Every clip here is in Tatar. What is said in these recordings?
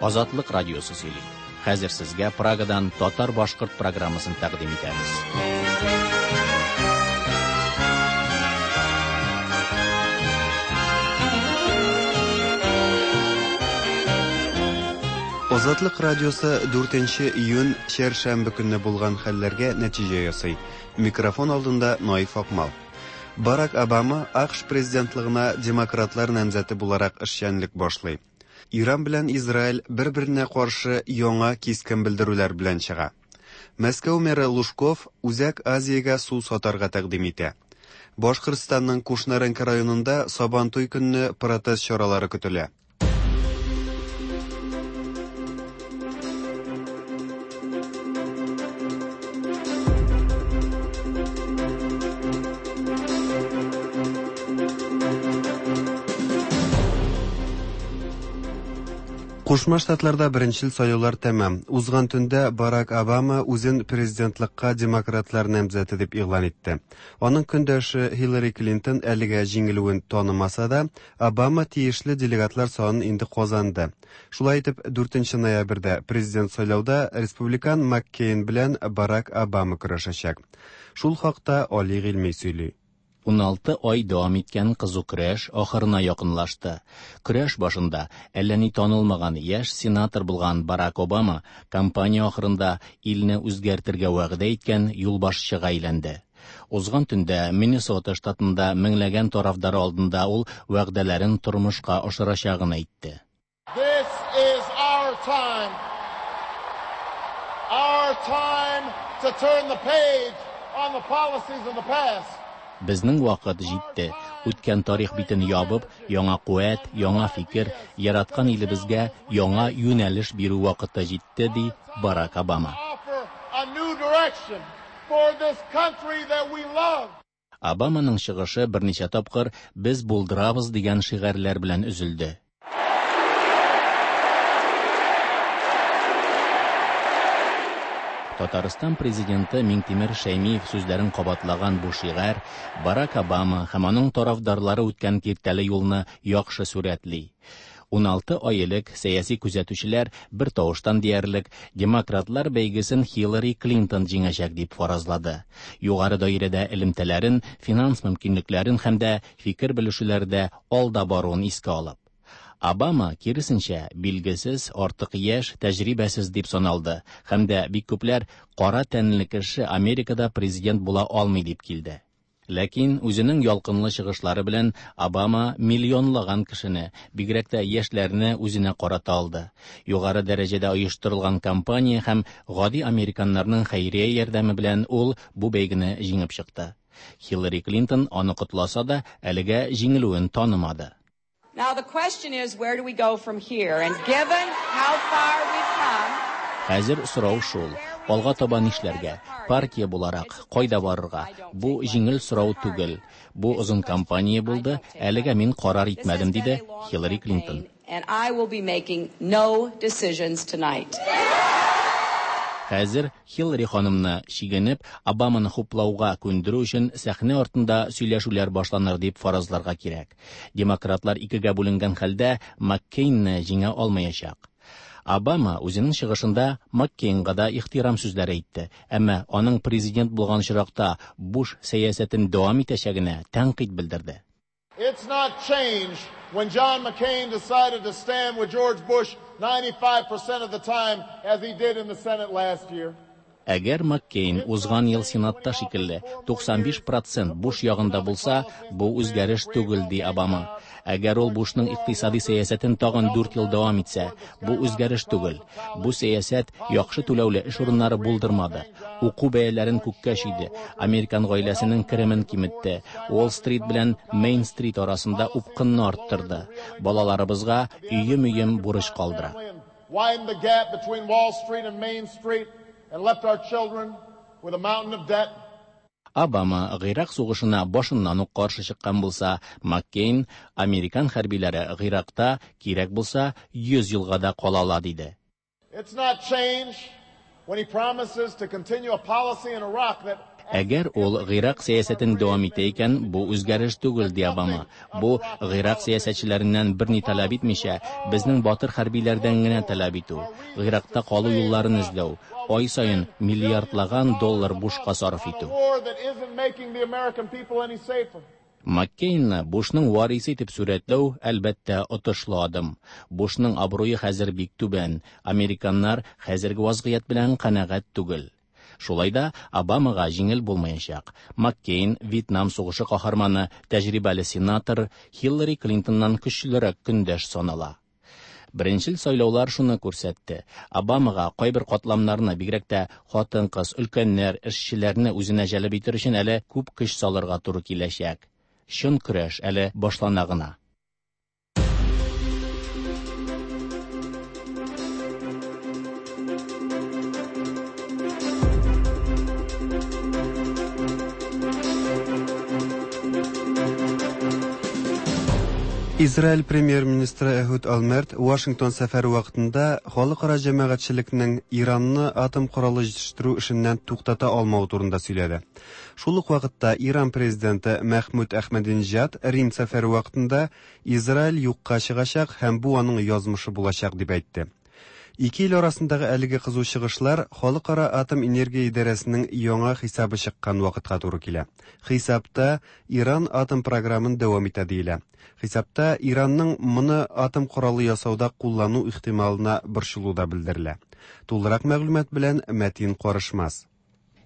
Азатлык радиосы сөйли. Хәзер сезгә Прагадан татар-башкорт программасын тәкъдим итәбез. Азатлык радиосы 4 июнь чәршәмбе көнне булган хәлләргә нәтиҗә ясый. Микрофон алдында Наиф Акмал. Барак Обама АКШ президентлыгына демократлар намзәте буларак эшчәнлек башлый. Иран белән Израиль бер-беренә каршы яңа кискен белдерүләр белән чыга. Мәскәү мэры Лужков Үзәк Азиягә су сатарга тәкъдим итә. Башкортстанның Кушнаренко районында Сабантуй көнне протест чаралары көтелә. Кушма Штатларда беренчел сайлаулар тәмам. Узган төндә Барак Обама үзен президентлыкка демократлар намзәте дип игълан итте. Аның көндәше Хиллари Клинтон әлегә җиңелүен танымаса да, Обама тиешле делегатлар санын инде казанды. Шулай итеп, 4 ноябрьдә президент сайлауда республикан Маккейн белән Барак Обама көрәшәчәк. Шул хакта Али Гыйльми сөйли. 16 ай дәвам иткән кызу көрәш ахырына якынлашты. Көрәш башында әллә ни танылмаган яшь сенатор булган Барак Обама кампания ахырында илне үзгәртергә вәгъдә иткән юлбашчыга әйләнде. Узган төндә Миннесота штатында меңләгән тарафдары алдында ул вәгъдәләрен тормышка ашырачагын әйтте. This is our time. Our time to turn the page on the policies of the past. Безнең вакыт җитте. Үткән тарих битен ябып, яңа куәт, яңа фикер, яраткан илебезгә яңа юнәлеш бирү вакыты җитте, ди Барак Обама. Offer a new direction for this country that we love. Обаманың чыгышы берничә тапкыр «Без булдырабыз» дигән шигарьләр белән өзелде. Татарстан президенты Миңтимер Шәймиев сүзләрен кабатлаган бу шигарь Барак Обама һәм аның тарафдарлары үткән киртәле юлны яхшы сурәтли. 16 ай элек сәяси күзәтүчеләр бер тавыштан диярлек демократлар бәйгесен Хиллари Клинтон җиңәчәк дип фаразлады. Югары даирәдә элемтәләрен, финанс мөмкинлекләрен һәм дә фикер белешүләрдә алда баруын искә алып. Обама, киресенчә, билгесез, артык яшь, тәҗрибәсез дип саналды һәм дә бик күпләр кара тәнле кеше Америкада президент була алмый дип килде. Ләкин үзенең ялкынлы чыгышлары белән Обама миллионлаган кешене, бигрәк тә яшьләрне үзенә карата алды. Югары дәрәҗәдә оештырылган кампания һәм гади американнарның хәйрия ярдәме белән ул бу бәйгене җиңеп чыкты. Хиллари Клинтон аны котласа да, әлегә җиңелүен танымады. Now the question is, where do we go from here? And given how far we've come, Хәзер сорау шул: алга таба нишләргә? Партия буларак кайда барырга? Бу җиңел сорау түгел. Бу озын кампания булды, әлегә мин карар итмәдем, диде Хиллари Клинтон. And I will be making no decisions tonight. Хәзер Хиллари ханымны чигенеп, Обаманы хуплауга күндерү өчен сәхнә артында сөйләшүләр башланыр дип фаразларга кирәк. Демократлар икегә бүленгән хәлдә Маккейнны җиңә алмаячак. Обама үзенең чыгышында Маккейнга да ихтирам сүзләре әйтте, әмма аның президент булган очракта Буш сәясәтен дәвам итәчәгенә тәнкыйть белдерде. It's not change when John McCain decided to stand with George Bush 95% of the time as he did in the Senate last year. Әгәр Маккейн узган ел Сенатта шикелле 95% Буш ягында булса, бу үзгәреш түгел, ди Обама. Әгәр ул Бушның икътисади сәясәтен тагын 4 ел дәвам итсә, бу үзгәреш түгел. Бу сәясәт яхшы түләүле эш урыннары булдырмады. Уку бәяләрен күккә чөйде. Американ гаиләсенең керемен киметте. Уолл-стрит белән Мейн-стрит арасында упкынны арттырды. Балаларыбызга өем-өем бурыч калдыра. Widen the gap between Wall Street and Main Street and left our children with a mountain of debt. Обама Гыйрак сугышына башыннан ук каршы чыккан булса, Маккейн американ хәрбиләре Гыйракта кирәк булса 100 елга да кала ала диде. It's not change when he promises to continue a policy in Iraq that Әгәр ул Гыйрак сәясәтен дәвам итә икән, бу үзгәреш түгел, ди Обама. Бу, Гыйрак сәясәтчеләреннән берни таләп итмичә, безнең батыр хәрбиләрдән генә таләп итү, Гыйракта калу юлларын эзләү, ай саен миллиардлаган доллар бушка сарыф итү. Маккейнны Бушның варисы итеп сурәтләү, әлбәттә, отышлы адым. Бушның абруе хәзер бик түбән, американнар хәзерге вазгыять белән канәгать түгел. Шулай да Обамага җиңел булмаячак. Маккейн, Вьетнам сугышы каһарманы, тәҗрибәле сенатор, Хиллари Клинтоннан көчлерәк көндәш санала. Беренчел сайлаулар шуны күрсәтте. Обамага кайбер катламнарны, бигрәк тә хатын-кыз, өлкәннәр, эшчеләрне үзенә җәлеп итер өчен әле күп көч салырга туры киләчәк. Чын көрәш әле башлана гына. Израиль премьер-министры Эхуд Олмерт Вашингтон сәфәре вакытында халыкара җәмәгатьчелекнең Иранны атом коралы җитештерү эшеннән туктата алмавы турында сөйләде. Шул ук вакытта Иран президенты Мәхмүд Әхмәдинҗад Рим сәфәре вакытында Израиль юкка чыгачак һәм бу аның язмышы булачак дип әйтте. Ике ил арасындагы әлеге кызу чыгышлар Халыкара атом энергия идарәсенең яңа хисабы чыккан вакытка туры килә. Хисапта Иран атом програмын дәвам итә диелә. Хисапта Иранның моны атом коралы ясауда куллану ихтималына борчылу да белдерелә. Тулырак мәгълүмат белән Мәтин Карышмас.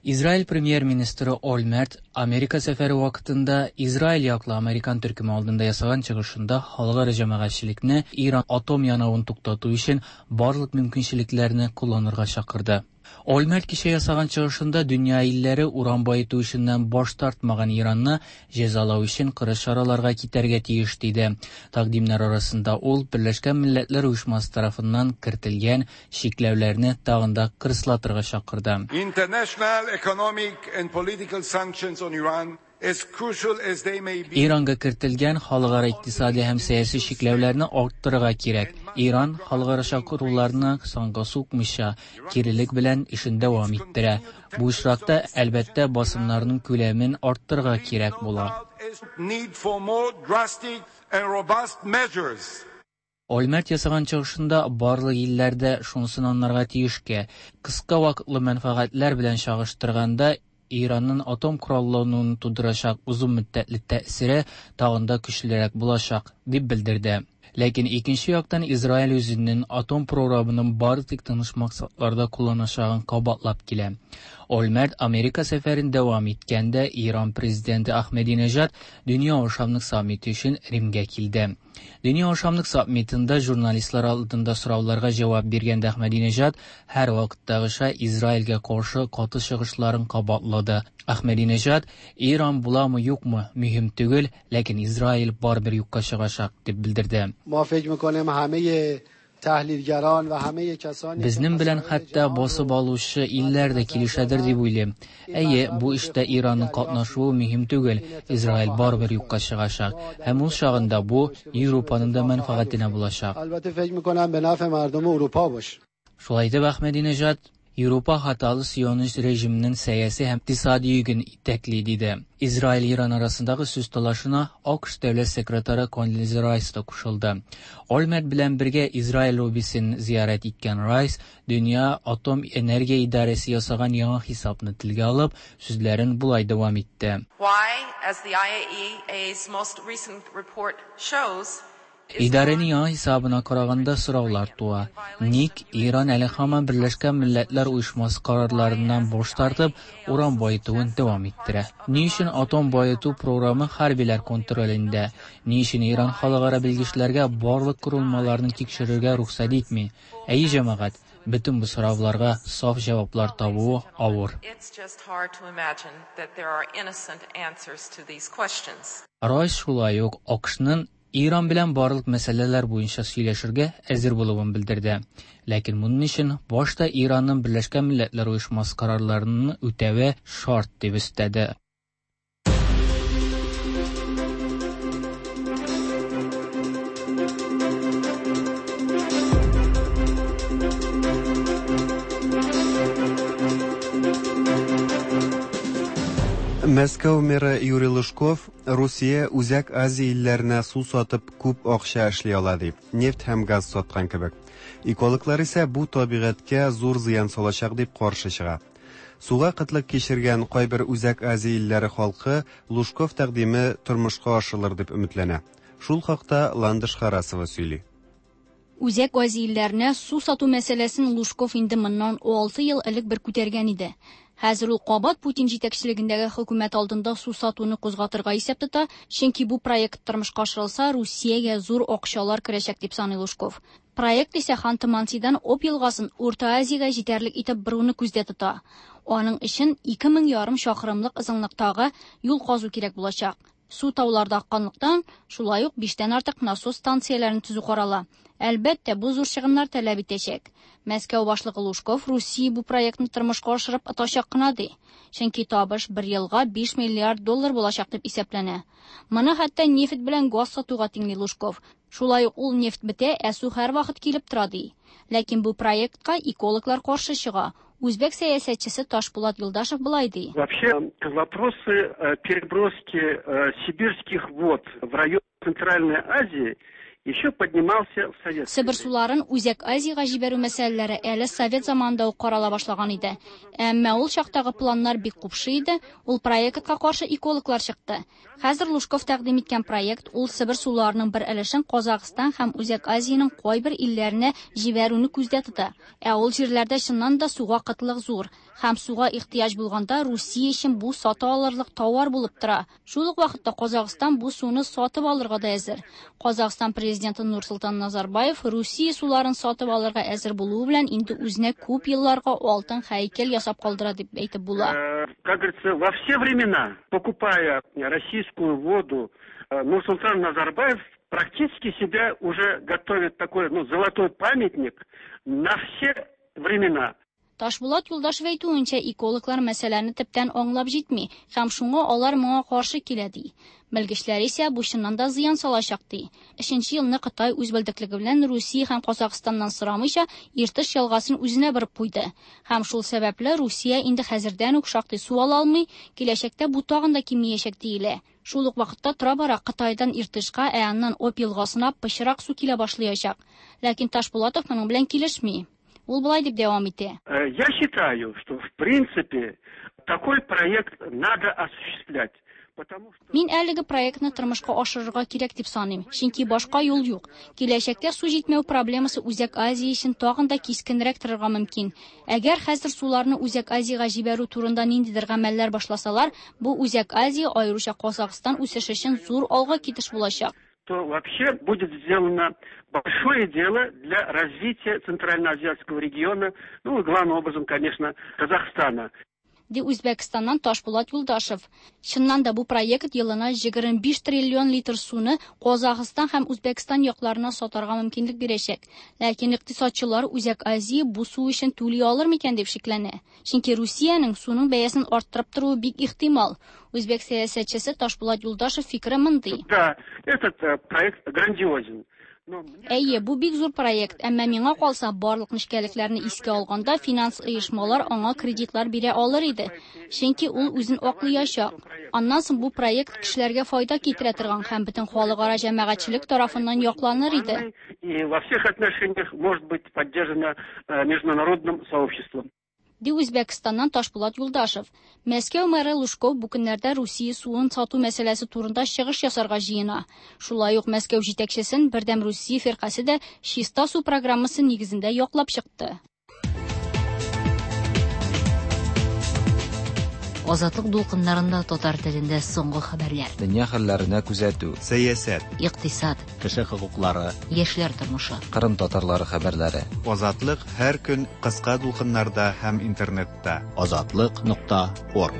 Израиль премьер-министры Олмерт Америка сәфәре вакытында Израиль яклы американ төркеме алдында ясаган чыгышында халыкара җәмәгатьчелекне Иран атом янавын туктату өчен барлык мөмкинчелекләрне кулланырга чакырды. Олмерт кичә ясаган чыгышында дөнья илләре уран баету эшеннән баш тартмаган Иранны җәзалау өчен кырыс чараларга китәргә тиеш диде. Тәкъдимнәр арасында ул Берләшкән Милләтләр Оешмасы тарафыннан кертелгән чикләүләрне тагын да кырыслатырга чакырды. International economic and political sanctions on Iran, as crucial as they may be, Иранга кертелгән халыкара икътисади һәм сәяси чикләүләрне арттырырга кирәк. Иран халыкара чакыруларны санга сукмыйча, кирелек белән эшен дәвам иттерә. Бу очракта, әлбәттә, басымнарның күләмен арттырырга кирәк була. need for more drastic and robust measures. Олмерт ясаган чыгышында барлык илләрдә шунысын анларга тиешкә, кыска вакытлы мәнфәгатьләр белән чагыштырганда Иранның атом кораллануын тудырачак озын мөддәтле тәэсире тагын да көчлерәк булачак, дип белдерде. Ләкин икенче яктан Израиль үзенең атом програмын бары тик тыныч максатларда кулланачагын кабатлап килә. Олмерт Америка сәфәрен дәвам иткәндә Иран президенты Ахмединежад Дөнья ашамлык саммиты өчен Римгә килде. Дөнья ашамлык саммитында журналистлар алдында сорауларга җавап биргәндә Ахмединежад һәр вакыттагыча Израильгә каршы каты чыгышларын кабатлады. Ахмединежад Иран буламы юкмы мөһим түгел, ләкин Израиль барыбер юкка чыгачак дип белдерде. ما فکر میکنیم همه تحلیلگران و همه کسانی که Безнең белән مسائل хәтта جهان رو басып алучы илләр дә килешәдер дип уйлыйм. Әйе, бу эштә Иранның катнашуы мөһим түгел. Израиль барыбер юкка чыгачак. Һәм ул чагында бу Европаның да мәнфәгатенә булачак. البته فکر میکنم به نفع مردم اروپا باشه. Шулай итеп Ахмединежад Европа хаталы сионист режимының сәяси һәм икътисади йөген итәкли диде. Израиль-Иран арасындагы сүз талашына АКШ дәүләт секретаре Кондолиза Райс та кушылды. Олмерт белән бергә Израиль лоббисын зиярәт иткән Райс Дөнья атом энергия идарәсе ясаган яңа хисапны телгә алып, сүзләрен болай дәвам итте. Why, as the IAEA's most recent report shows, Идарәнең яңа хисабына караганда сораулар туа. Ник Иран әле һаман Берләшкән Милләтләр Оешмасы карарларыннан баш тартып, уран баетуын дәвам иттерә? Ни өчен атом баету програмы хәрбиләр контролендә? Ни өчен Иран халыкара белгечләргә барлык корылмаларны тикшерергә рөхсәт итми? Әйе, җәмәгать, бөтен бу сорауларга саф җаваплар табуы авыр. It's just hard to imagine that there are innocent answers to these questions. Райс шулай ук АКШның Иран белән барлык мәсьәләләр буенча сөйләшергә әзер булуын белдерде. Ләкин моның өчен башта Иранның Берләшкән Милләтләр Оешмасы карарларын үтәве шарт дип өстәде. Мәскәү мэры Юрий Лужков Русия Үзәк Азия илләренә су сатып күп акча эшли ала ди, нефть һәм газ саткан кебек. Экологлар исә бу табигатькә зур зыян салачак дип каршы чыга. Суга кытлык кичергән кайбер Үзәк Азия илләре халкы Лужков тәкъдиме тормышка ашырылыр дип өметләнә. Шул хакта Ландыш Харасова сөйли. Үзәк Азия илләренә су сату мәсьәләсен Лужков инде моннан 6 ел элек бер күтәргән иде. Хәзер ул кабат Путин җитәкчелегендәге хөкүмәт алдында су сатуны кузгатырга исәп тота, чөнки бу проект тормышка ашырылса, Русиягә зур акчалар керәчәк дип саный Лужков. Проект исә Ханты-Мансидан Обь елгасын Урта Азиягә җитәрлек итеп боруны күздә тота. Аның өчен 2500 чакрымлык озынлыктагы юл казу кирәк булачак. Су тауларда акканлыктан, шулай ук 5тән артык насос станцияләрен төзү карала. Әлбәттә, бу зур чыгымнар таләп итәчәк. Мәскәү башлыгы Лужков Русия бу проектны тормышка ашырып отачак кына ди. Чөнки табыш бер елга 5 миллиард доллар булачак дип исәпләнә. Моны хәтта нефть белән газ сатуга тиңли Лужков. Шулай ук ул нефть бетә, ә су һәрвакыт килеп тора ди. Ләкин бу проектка экологлар каршы чыга. Үзбәк сәясәтчесе Ташпулат Юлдашев былай ди. Вообще вопросы переброски сибирских вод в район Центральной Азии еще поднимался в советское Себер суларын Үзәк Азиягә җибәрү мәсьәләләре әле совет заманында ук карала башлаган иде. Әмма ул чактагы планнар бик купшы иде, ул проектка каршы экологлар чыкты. Хәзер Лужков тәкъдим иткән проект ул Себер суларының бер өлешен Казахстан һәм Үзәк Азиянең кайбер илләренә җибәрүне күздә тота. Ә ул җирләрдә чыннан да суга кытлык зур һәм суга ихтыяҗ булганда Русия өчен бу сата алырлык товар булып тора. Шул ук вакытта Казахстан бу суны сатып алырга да әзер. Казахстан президенты Нурсултан Назарбаев Русия суларын сатып алырга әзер булуы белән инде үзенә күп елларга алтын һәйкәл ясап калдыра дип әйтеп була. Как говорится, во все времена, покупая российскую воду, Нурсултан Назарбаев практически себя уже готовит такой, ну, золотой памятник на все времена. Ташбулат Юлдашев әйтүенчә, экологлар мәсьәләне төптән аңлап җитми һәм шуңа алар моңа каршы килә ди. Белгечләр исә бу чыннан да зыян салачак ди. Өченче елны Кытай үз белдеклеге белән Русия һәм Казахстаннан сорамыйча Иртыш елгасын үзенә борып куйды. Һәм шул сәбәпле Русия инде хәзердән үк шактый су ала алмый, киләчәктә бу тагын да кимиячәк диелә. Шул ук вакытта тора-бара Кытайдан Иртышка, ә аннан Обь елгасына пычрак су килә башлаячак. Ләкин Ташбулатов моның белән килешми. Ул болай дип дәвам итә. Я считаю, что в принципе такой проект надо осуществлять. Мин әлеге проектны тормышка ашырырга кирәк дип саныйм, чөнки башка юл юк. Киләчәктә су җитмәү проблемасы Үзәк Азия өчен тагын да кискенрәк торырга мөмкин. Әгәр хәзер суларны Үзәк Азиягә җибәрү турында ниндидер гамәлләр башласалар, бу Үзәк Азия, аеруча Казахстан үсеше өчен зур алга китеш булачак. То вообще будет сделано большое дело для развития Центральноазиатского региона, ну и главным образом, конечно, Казахстана. Ди Үзбәкстаннан Ташбулат Юлдашев. Чыннан да бу проект елына 25 триллион литр суны Казахстан һәм Үзбәкстан якларына сатарга мөмкинлек бирәчәк. Ләкин икътисадчылар Үзәк Азия бу су өчен түли алыр микән дип шикләнә. Чөнки Русиянең суның бәясен арттырып торуы бик ихтимал. Үзбәк сәясәтчесе Ташбулат Юлдашев фикере мондый. Да, этот проект грандиозен. Әйе, бу бик зур проект, әмма миңа калса, барлык нечкәлекләрне искә алганда финанс оешмалар аңа кредитлар бирә алыр иде. Чөнки ул үзен аклыячак. Аннан соң бу проект кешеләргә файда китерә торган һәм бөтен халыкара җәмәгатьчелек тарафыннан якланыр иде. И во всех отношениях может быть поддержана международным сообществом. Ди Үзбәкстаннан Ташбулат Юлдашев. Мәскәү мэры Лужков бу көннәрдә Русия суын сату мәсьәләсе турында чыгыш ясарга җыена. Шулай ук Мәскәү җитәкчесен Бердәм Русия фиркасе дә чиста су программасы нигезендә яклап чыкты. Азатлык дулкыннарында татар телендә соңгы хәбәрләр. Дөнья хәлләренә күзәтү. Сәясәт. Икътисад. Кеше хокуклары. Яшьләр тормышы. Кырым татарлары хәбәрләре. Азатлык һәр көн кыска дулкыннарда һәм интернетта. Азатлык.орг.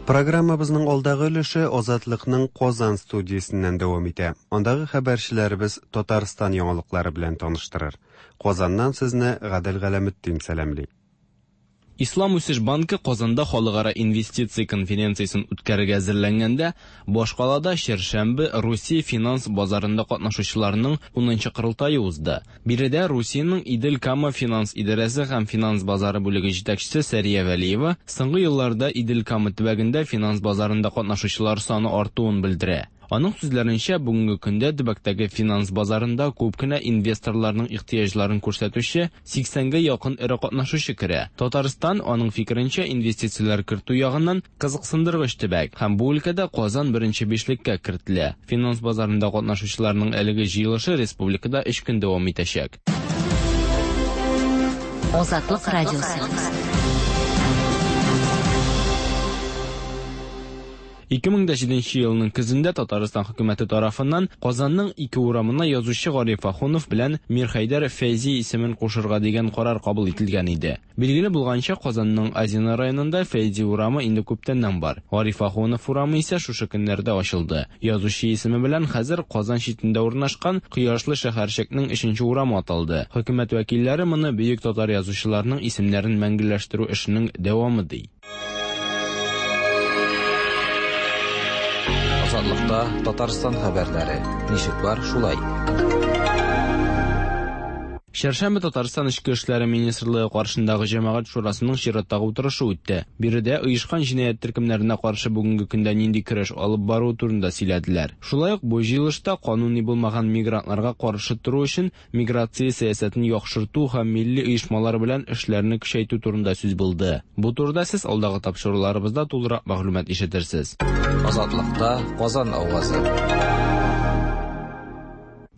Программабызның алдагы өлеше Азатлыкның Казан студиясеннән дәвам итә. Андагы хәбәрчеләребез Татарстан яңалыклары белән таныштырыр. Казаннан сезне Гадел Галәметдин сәламли. Ислам үсеш банкы Казанда халыкара инвестиция конференциясен үткәрергә әзерләнгәндә, башкалада чәршәмбе Русия финанс базарында катнашучыларның 10нчы корылтае узды. Биредә Русиянең Идел-Кама финанс идарәсе һәм финанс базары бүлеге җитәкчесе Сәрия Вәлиева соңгы елларда Идел-Кама төбәгендә финанс базарында катнашучылар саны артуын белдерә. Аның сүзләренчә, бүгенге көндә төбәктәге финанс базарында күп кенә инвесторларның ихтыяҗларын күрсәтүче 80гә якын эре катнашучы керә. Татарстан, аның фикеренчә, инвестицияләр кертү ягыннан кызыксындыргыч төбәк һәм бу өлкәдә Казан беренче бишлеккә кертелә. Финанс базарында катнашучыларның әлеге җыелышы республикада өч көн дәвам итәчәк. Азатлык радиосы. 2007 елның көзендә Татарстан хөкүмәте тарафыннан Казанның ике урамына язучы Гариф Ахунов белән Мирхәйдәр Фәйзи исемен кушырга дигән карар кабул ителгән иде. Билгеле булганча, Казанның Азино районында Фәйзи урамы инде күптәннән бар. Гариф Ахунов урамы исә шушы көннәрдә ачылды. Язучы исеме белән хәзер Казан читендә урнашкан Кояшлы шәһәрчекнең өченче урамы аталды. Хөкүмәт вәкилләре моны бөек татар язучыларының исемнәрен мәңгеләштерү эшенең дәвамы ди. Азатлыкта Татарстан хәбәрләре. Ничек бар, шулай. Чәршәмбе Татарстан Эчке эшләре министрлыгы каршындагы җәмәгать шурасының чираттагы утырышы үтте. Биредә оешкан җинаять төркемнәренә каршы бүгенге көндә нинди көрәш алып бару турында сөйләделәр. Шулай ук бу җыелышта кануни булмаган мигрантларга каршы тору өчен миграция сәясәтен яхшырту һәм милли оешмалар белән эшләрне көчәйтү турында сүз булды. Бу турыда сез алдагы тапшыруларыбызда тулырак мәгълүмат ишетерсез. Азатлыкта Казан авазы.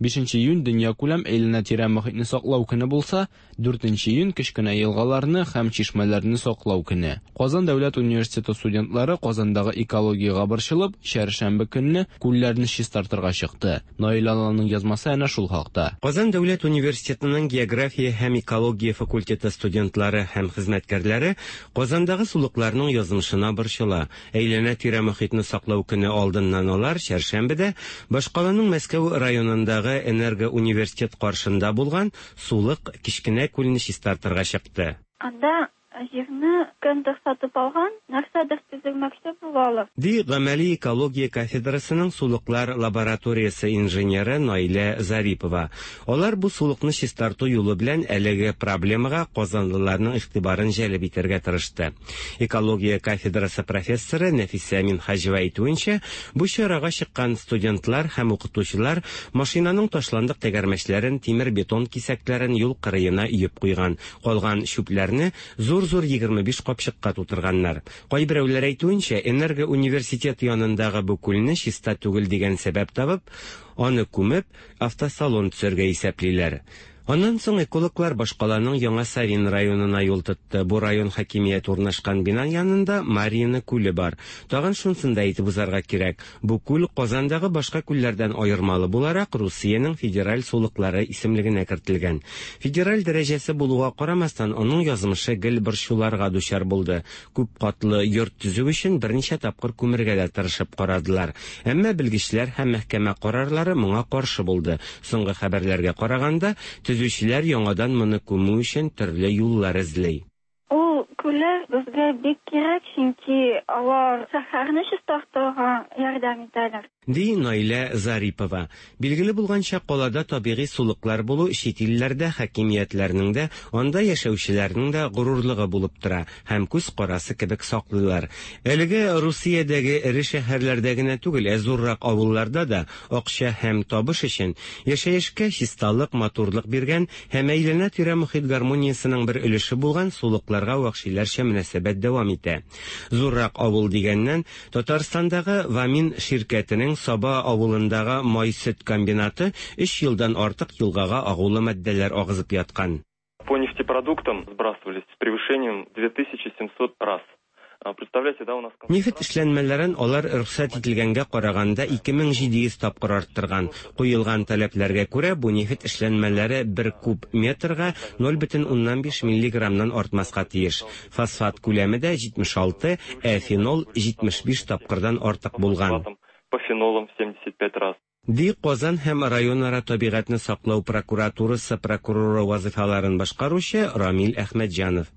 5 июнь дөньякүләм әйләнә-тирә мохитне саклау көне булса, 4 июнь кечкенә елгаларны һәм чишмәләрне саклау көне. Казан дәүләт университеты студентлары Казандагы экологиягә борчылып, чәршәмбе көнне күлләрне чистартырга чыкты. Наил Алланың язмасы әнә шул хакта. Казан дәүләт университетының география һәм экология факультеты студентлары һәм хезмәткәрләре Казандагы сулыкларның язмышына борчыла. Әйләнә-тирә мохитне саклау көне алдыннан алар чәршәмбедә башкаланың Мәскәү районындагы Энергоуниверситет каршында булган сулык кечкенә күлне чистартырга чыкты. Анда җирне кемдер сатып алган, нәрсәдер төзелмәкче булалар. Ди гамәли экология кафедрасының сулыклар лабораториясе инженеры Наилә Зарипова. Алар бу сулыкны чистарту юлы белән әлеге проблемага казанлыларның игътибарын җәлеп итәргә тырышты. Экология кафедрасы профессоры Нәфисә Минһаҗева әйтүенчә, бу чарага чыккан студентлар һәм укытучылар машинаның ташландык тәгәрмәчләрен, тимер-бетон кисәкләрен юл кырыена өеп куйган. Калган чүпләрне зур-зур 25 капчыкка тутырганнар. Кайберәүләр әйтүенчә, Энергоуниверситет янындагы бу күлне чиста түгел дигән сәбәп табып, аны күмеп, автосалон төзергә исәплиләр. Аннан соң экологлар башкаланың Яңа Савин районына юл тотты. Бу район хакимияте урнашкан бина янында Марьино күле бар. Тагын шунысын да әйтеп узарга кирәк. Бу күл Казандагы башка күлләрдән аермалы буларак Русиянең федераль сулыклары исемлегенә кертелгән. Федераль дәрәҗәсе булуга карамастан, аның язмышы гел борчуларга дучар булды. Күп катлы йорт төзү өчен берничә тапкыр күмергә дә тырышып карадылар. Әмма белгечләр һәм мәхкәмә карарлары моңа каршы булды. Соңгы хәбәрләргә караганда, төзүчеләр яңадан моны күмү өчен төрле юллар эзли. Ул күлләр безгә бик кирәк, чөнки алар шәһәрне чистартырга ярдәм итәләр. Ди Наилә Зарипова. Билгеле булганча, калада табигый сулыклар булу чит илләрдә хакимиятләрнең дә, анда яшәүчеләрнең дә горурлыгы булып тора һәм күз карасы кебек саклыйлар. Әлеге Русиядәге эре шәһәрләрдә генә түгел, ә зуррак авылларда да акча һәм табыш өчен яшәешкә чисталык, матурлык биргән һәм әйләнә-тирә мохит гармониясенең бер өлеше булган сулыкларга вәхшиләрчә мөнәсәбәт дәвам итә. Зуррак авыл дигәннән, Татарстандагы Вамин ширкәтенең Саба авылындагы май-сөт комбинаты 3 елдан артык елгага агулы матдәләр агызып яткан. По нефтепродуктам сбрасывались с превышением 2700 раз. Представляете, да, у нас... Нефть эшләнмәләрен алар рөхсәт ителгәнгә караганда 2700 тапкыр арттырган. Куелган таләпләргә күрә, бу нефть эшләнмәләре 1 куб метрга 0,5 миллиграммнан артмаска тиеш. Фосфат күләме дә 76, ә фенол 75 тапкырдан артык булган. По фенолам 75 раз. Ди Казан һәм районара табигатьне саклау прокуратурасы прокуроры вазыйфаларын башкаручы Рамил Әхмәтҗанов.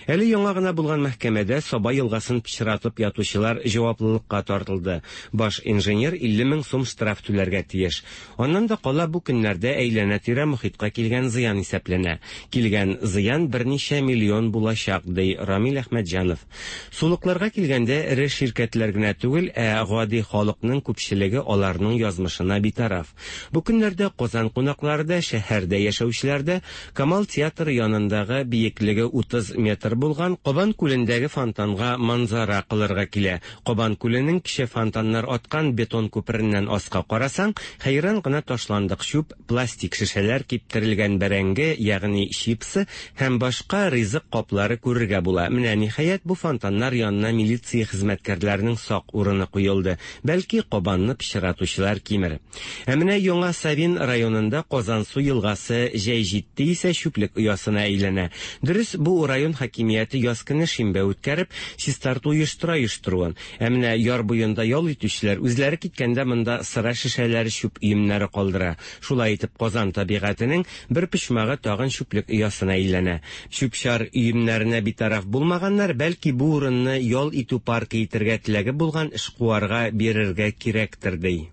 Әле яңа гына булган мәхкәмәдә Саба елгасын пычратып ятучылар җаваплылыкка тартылды. Баш инженер 50 мең сум штраф түләргә тиеш. Аннан да кала бу көннәрдә әйләнә-тирә мохиткә килгән зыян исәпләнә. Килгән зыян берничә миллион булачак, ди Рамил Әхмәтҗанов. Сулыкларга килгәндә, эре ширкәтләр генә түгел, ә гади халыкның күпчелеге аларның язмышына битараф. Бу көннәрдә Казан кунаклары да, шәһәрдә яшәүчеләр дә Камал театры янындагы биеклеге 30 метр булган Кабан күлендәге фонтанга манзара кылырга килә. Кабан күленең кече фонтаннар аткан бетон күпереннән аска карасаң, хәйран гына ташландык чүп, пластик шешәләр, киптерелгән бәрәңге, ягъни чипсы һәм башка ризык каплары күрергә була. Менә, ниһаять, бу фонтаннар янына милиция хезмәткәрләренең сак урыны куелды. Бәлки, Кабанны пычратучылар кимер. Ә менә Яңа Савин районында Казансу елгасы җәй җитте исә чүплек оясына әйләнә. Дөрес, бу район хакимияте яз көне шимбә үткәреп, чистарту оештыра оештыруын. Ә менә яр буенда ял итүчеләр үзләре киткәндә монда сыра шешәләре, чүп өемнәре калдыра. Шулай итеп, Казан табигатенең бер почмагы тагын чүплек оясына әйләнә. Чүп-чар өемнәренә битараф булмаганнар, бәлки, бу урынны ял итү паркы итергә теләге булган эшкуарга бирергә кирәктер, ди.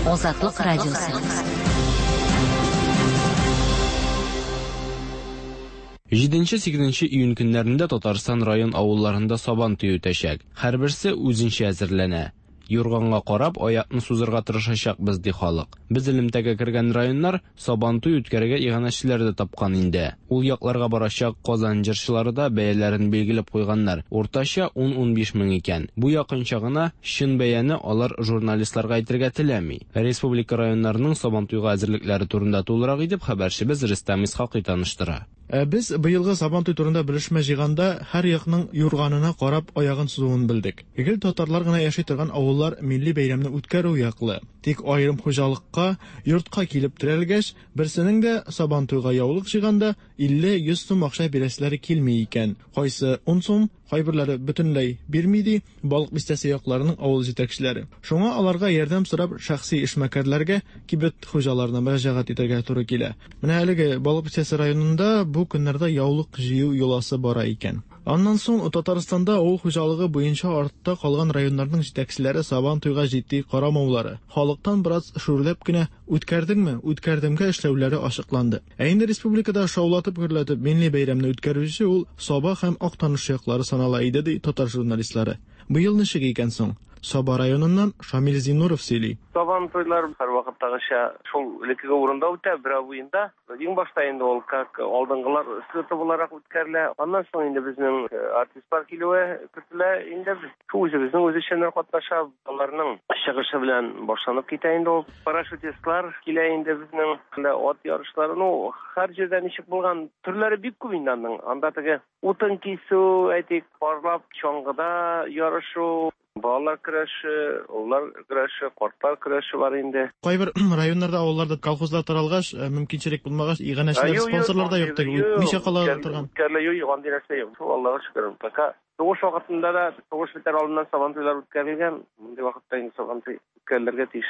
Азатлык радиосы. Җиденче-сигезенче июнь көннәрендә Татарстан район авылларында Сабан туе үтәчәк. Һәрберсе үзенчә әзерләнә. Юрганга карап, аякны сузырга тырышачакбыз, ди халык. Без элемтәгә кергән районнар Сабантуй үткәрергә иганәчеләр дә тапкан инде. Ул якларга барачак Казан җырчылары да бәяләрен билгеләп куйганнар, уртача ун-унбиш мең икән. Бу якынча гына, чын бәяне алар журналистларга әйтергә теләми. Республика районнарының Сабантуйга әзерлекләре турында тулырак итеп хәбәрчебез Рөстәм Исхакый таныштыра. Ә без быелгы Сабантуй турында белешмә җыйганда, һәр якның юрганына карап аягын сузуын белдек. Гел татарлар гына яши торган авыллар милли бәйрәмне үткәрү яклы. Тик аерым хуҗалыкка, йортка килеп терәлгәч, берсенең дә Сабантуйга яулык җыйганда 50-100 сум акча бирәселәре килми икән. Кайсы ун сум, Кайберләре бөтенләй бирми, ди Балык Бистәсе якларының авыл җитәкчеләре. Шуңа аларга ярдәм сорап шәхси эшмәкәрләргә, кибет хуҗаларына мөрәҗәгать итәргә туры килә. Менә әлеге Балык Бистәсе районында бу көннәрдә яулык җыю йоласы бара икән. Аннан соң Татарстанда авыл хуҗалыгы буенча артта калган районнарның җитәкчеләре Сабантуйга җитди карамаулары, халыктан бераз шүрләп кенә Үткәрдеңме, үткәрдемгә эшләүләре ачыкланды. Ә инде республикада шаулатып-гөрләтеп милли бәйрәмне үткәрүче ул Саба һәм Актаныш яклары санала иде, ди татар журналистлары. Быел ничек икән соң? Саба районыннан Шамил Зиннуров сөйли. Сабантуйлар һәрвакыттагыча шул элеккеге урында үтә, Берәү буенда. Иң башта инде ул как алдынгылар слеты буларак үткәрелә. Аннан соң инде безнең артистлар килүе көтелә. Инде шул үзебезнең үзешчәннәр катнаша. Аларның чыгышы белән башланып китә инде ул. Парашютистлар килә инде безнең, ат ярышлары. Ну, һәр җирдә ничек булган, төрләре бик күп инде аның. Анда теге утын кисү, әйтик, парлап чаңгыда ярышу, балалар көрәше, олылар көрәше, картлар көрәше бар инде. Кайбер районнарда, авылларда колхозлар таралгач, мөмкинчелек булмагач, иганәчеләр, спонсорлар да юк теге, үтмичә кала торган. Үткәрелә, юк, юк, андый нәрсә юк. Шул Аллага шөкер, пока Сугыш вакытында да, сугыш бетәр алдыннан Сабантуйлар үткәрелгән. Мондый вакытта инде Сабантуй үткәрелергә тиеш.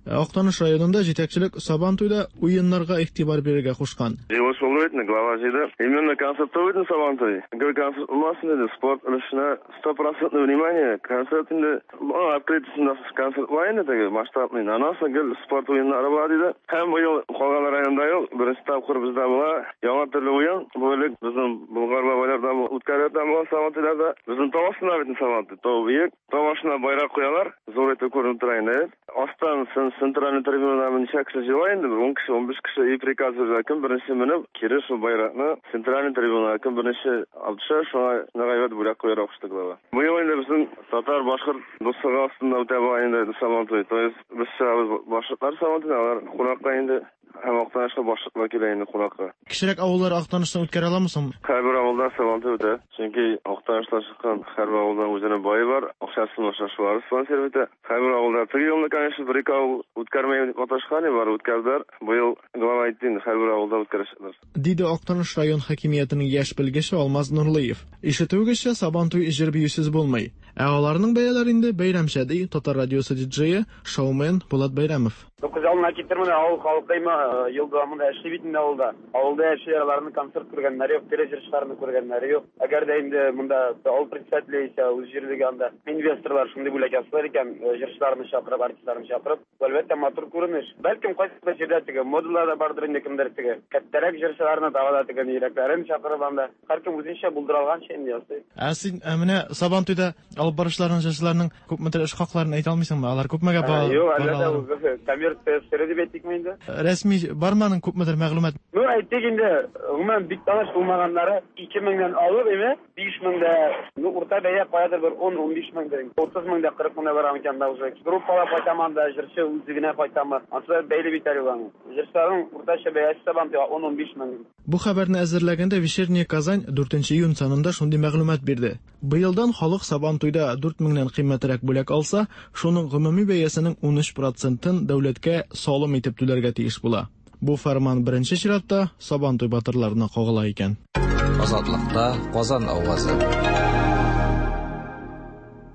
Актаныш районында җитәкчелек Сабантуйда уеннарга игътибар бирергә кушкан. Җыелыш булды бит инде, глава җыйды. Именно концерт түгел бит Сабантуй. Гел концерт булмасын диде, спорт өлешенә стопроцентное внимание. Концерт инде, аның открытиесендә концерт була инде теге, масштабный. Аннан соң гел спорт уеннары була диде. Һәм быел калган районда юк, беренче тапкыр бездә була. Яңа төрле уен. Бу элек безнең Болгар бабайларда үткәрелә торган Сабантуйларда. Безнең тау астында бит Сабантуй, тау биек. Тау башына байрак куялар, зур итеп күренеп тора инде. Астан центральный трибунадан ничә кеше җыела инде, бер ун кеше, 15 кеше, и приказ бирә, кем беренче менеп, кире шул байракны центральный трибунага кем беренче алып төшә, шуңа нык әйбәт бүләк куярга кушты глава. Быел инде безнең татар, башкорт дуслыгы астында үтә бугай инде Сабантуй. То есть без чыгабыз башкортлар Сабантуена, алар кунакка инде. Һәм Актанышка башлыклар килә инде кунакка. Кечерәк авыллар Актаныштан үткәрә аламы соң? Һәрбер авылда Сабантуй үтә. Чөнки Актаныштан чыккан һәрбер авылдан үзенең бае бар, акчасын аша шулар спонсировать итә. Һәрбер авылда теге елны, конечно, бер-ике авыл үткәрмәйм дип маташкан иде, бары үткәрделәр. Быел глава әйтте инде, һәрбер авылда үткәрәчәкләр. Диде Актаныш район хакимиятенең яшь белгече Алмаз Нурлыев. Ишетүегезчә, Сабантуй җыр-биюсез булмый. Ә аларның бәяләре инде бәйрәмчә, ди Татар радиосы диджее, шоумен Булат Бәйрәмов. Ну, күз алдына китермә, авыл халкы има ел дәвамында эшли бит инде авылда. Авылда яшиләр, аларның концерт күргәннәре юк, тере җырчыларны күргәннәре юк. Әгәр дә инде монда авыл председателе яисә үз җирлеге анда инвесторлар шундый бүләк ясыйлар икән, җырчыларны чакырып, артистларны чакырып, бу, әлбәттә, матур күренеш. Бәлкем, кайсыдыр җирдә теге модалар да бардыр инде, кемдер теге кәттәрәк җырчыларны, тагы да теге йөрәкләрен чакырып анда. Һәркем үзенчә булдыра алганча инде ясый. Ә син ә менә Сабантуйда алып баручыларның, җырчыларның күпмедер эш хакларын әйтә алмыйсыңмы? Алар күпмегә ба Юк, әлбәттә, ул коммерция сере дип әйтикме инде? Рәсми бармы аның күпмедер мәгълүмат? Ну, әйтик инде, гомумән бик таныш булмаганнары 2000 нән алып, име, 5000 дә, ну, урта бәя каядыр бер 10-15 меңдер. 30 мең дә, 40 мең дә бар микән анда уже. Группалап кайтамы анда, җырчы үзе генә кайтамы? Ансы да бәйле бит әле ул аның. Җырчыларның уртача бәясе Сабантуйга 10-15 мең. Бу хәбәрне әзерләгәндә Вечерняя Казань 4 июнь санында шундый мәгълүмат бирде. Быелдан халык Сабантуйда 4 меңнән кыйммәтрәк бүләк алса, шуның гомуми бәясенең 13 процентын дәүләткә салым итеп түләргә тиеш була. Бу фәрман беренче чиратта Сабантуй батырларына кагыла икән. Азатлыкта Казан авазы.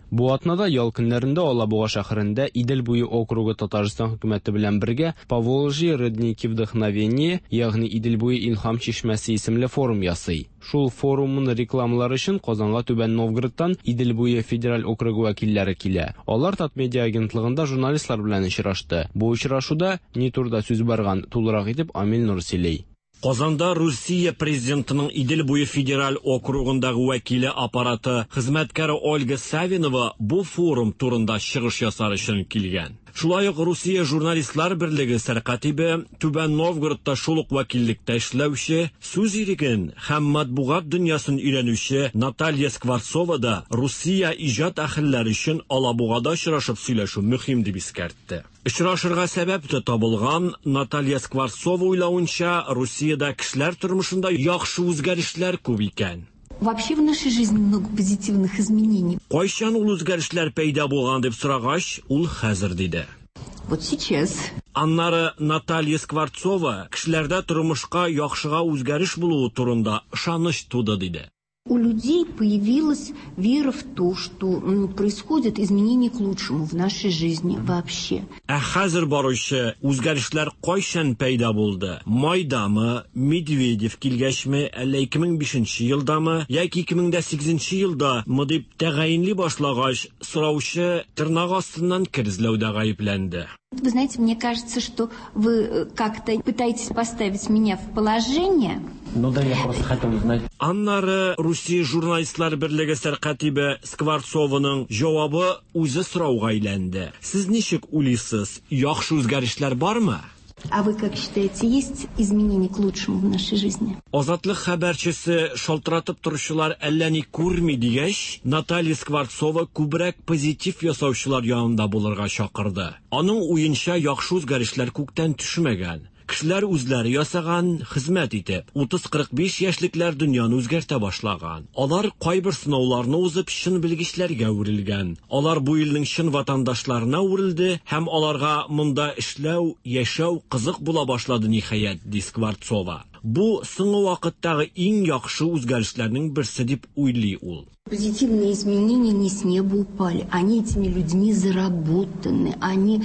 Бу атнада ял көннәрендә Алабуга шәһәрендә Идел буе округы Татарстан хөкүмәте белән бергә Поволжье родники вдохновения, ягъни Идел буе илһам чишмәсе исемле форум ясый. Шул форумны рекламалар өчен Казанга Түбән Новгородтан Идел буе федераль округы вәкилләре килә. Алар Татмедиа агентлыгында журналистлар белән очрашты. Бу очрашуда ни турыда сүз барган, тулырак итеп Амил Нур сөйли. Казанда Русия президентының Идел буе федераль округындагы вәкиле аппараты хезмәткәре Ольга Савинова бу форум турында чыгыш ясар өчен килгән. Шулай ук Русия журналистлар берлеге сәркатибе, Түбән Новгородта шул ук вәкиллектә эшләүче, сүз иреген һәм матбугат дөньясын өйрәнүче Наталья Скворцова да Русия иҗат әһелләре өчен Алабугада очрашып сөйләшү мөһим дип искәртте. Очрашырга сәбәп тә табылган, Наталья Скворцова уйлавынча, Русиядә кешеләр тормышында яхшы үзгәрешләр күп икән. Вообще в нашей жизни много позитивных изменений. Кайчан ул үзгәрешләр пәйда булган дип сорагач, ул хәзер диде. Вот сейчас. Аннары Наталья Скворцова кешеләрдә тормышка яхшыга үзгәреш булуы турында ышаныч туды диде. У людей появилась вера в то, что происходит изменение к лучшему в нашей жизни вообще. Ә хәзер баручы үзгәрешләр кайчан пәйда булды? Майдамы, Медведев килгәчме, әллә 2005 елдамы, яки 2008 елдамы дип тәгаенли башлагач, сораучы тырнак астыннан кер эзләүдә гаепләнде. Вы знаете, мне кажется, что вы как-то пытаетесь поставить меня в положение. Ну да, я просто хотел узнать. Аннары Русия журналистлар берлеге сәркатибе Скворцованың җавабы үзе сорауга әйләнде. Сез ничек уйлыйсыз, яхшы үзгәрешләр бармы? А вы как считаете, есть изменения к лучшему в нашей жизни? Азатлык хәбәрчесе шалтыратып торучылар әллә ни күрми дигәч, Наталья Скворцова күбрәк позитив ясаучылар янында булырга чакырды. Аның уенча яхшы үзгәрешләр күктән төшмәгән. Кешеләр үзләре ясаган, хезмәт итеп, 30-45 яшьлекләр дөньяны үзгәртә башлаган. Алар кайбер сынауларны узып чын белгечләргә әверелгән. Алар бу илнең чын ватандашларына әверелде һәм аларга монда эшләү, яшәү кызык була башлады ниһаять, ди Скворцова. Бу соңгы вакыттагы иң яхшы үзгәрешләрнең берсе дип уйлый ул. Позитивные изменения не с неба упали, они этими людьми заработаны, они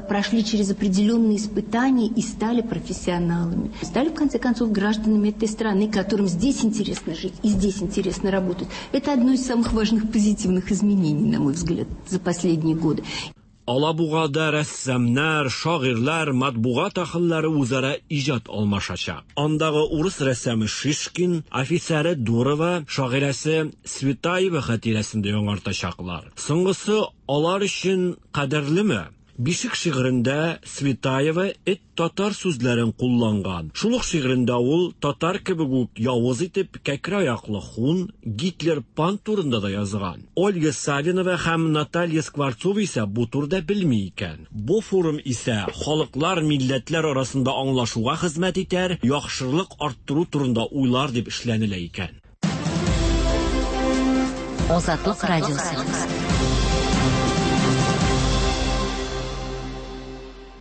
прошли через определенные испытания и стали профессионалами. Стали, в конце концов, гражданами этой страны, которым здесь интересно жить и здесь интересно работать. Это одно из самых важных позитивных изменений, на мой взгляд, за последние годы. Алабугада рәссамнар, шагыйрьләр, матбугат әһелләре үзара иҗат алмашачак. Андагы урыс рәссамы Шишкин, офицеры Дурова, шагыйрәсе Цветаева хатирәсен дә яңартачаклар. Соңгысы алар өчен кадерлеме? Бишек шигырендә Цветаева эт татар сүзләрен кулланган. Шул ук шигырендә ул татар кебек үк явыз итеп кәкре аяклы хун, Гитлер пан турында да язган. Ольга Савинова һәм Наталья Скворцова исә бу турыда белми икән. Бу форум исә халыклар, милләтләр арасында аңлашуга хезмәт итәр, яхшылык арттыру турында уйлар дип эшләнелә икән. Азатлык радиосы.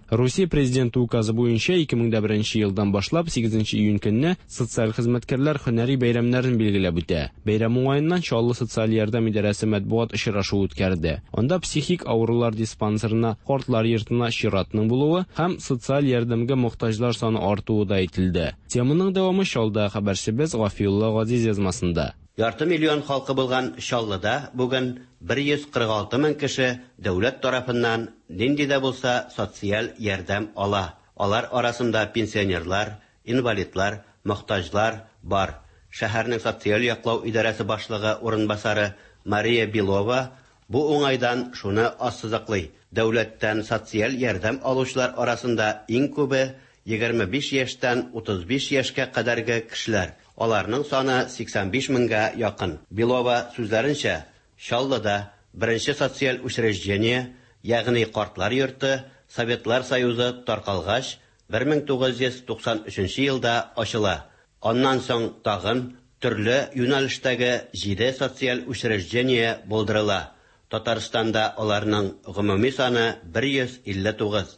Русия президенты указы буенча 2001 елдан башлап 8 июнь көнне социаль хезмәткәрләр һөнәри бәйрәмнәрен билгеләп үтә. Бәйрәм уңаеннан Чаллы социаль ярдәм идарәсе матбугат очрашуы үткәрде. Анда психик авырулар диспансерына, картлар йортына чиратның булуы һәм социаль ярдәмгә мохтаҗлар саны артуы да әйтелде. Теманың дәвамы Чаллыда хәбәрчебез Гафиулла Газиз язмасында. Ярты миллион халкы булган Чаллыда бүген 146 мең кеше дәүләт тарафыннан нинди дә булса социаль ярдәм ала. Алар арасында пенсионерлар, инвалидлар, мохтаҗлар бар. Шәһәрнең социаль яклау идарәсе башлыгы урынбасары Мария Белова бу уңайдан шуны ассызыклый, дәүләттән социаль ярдәм алучылар арасында иң күбе 25 яшьтән 35 яшькә кадәрге кешеләр. Аларның саны 85 меңгә якын. Белова сүзләренчә, Чаллыда беренче социаль учреждение, ягъни картлар йорты Советлар Союзы таркалгач 1993 елда ачыла. Аннан соң тагын төрле юнәлештәге 7 социаль учреждение булдырыла. Татарстанда аларның гомуми саны 159.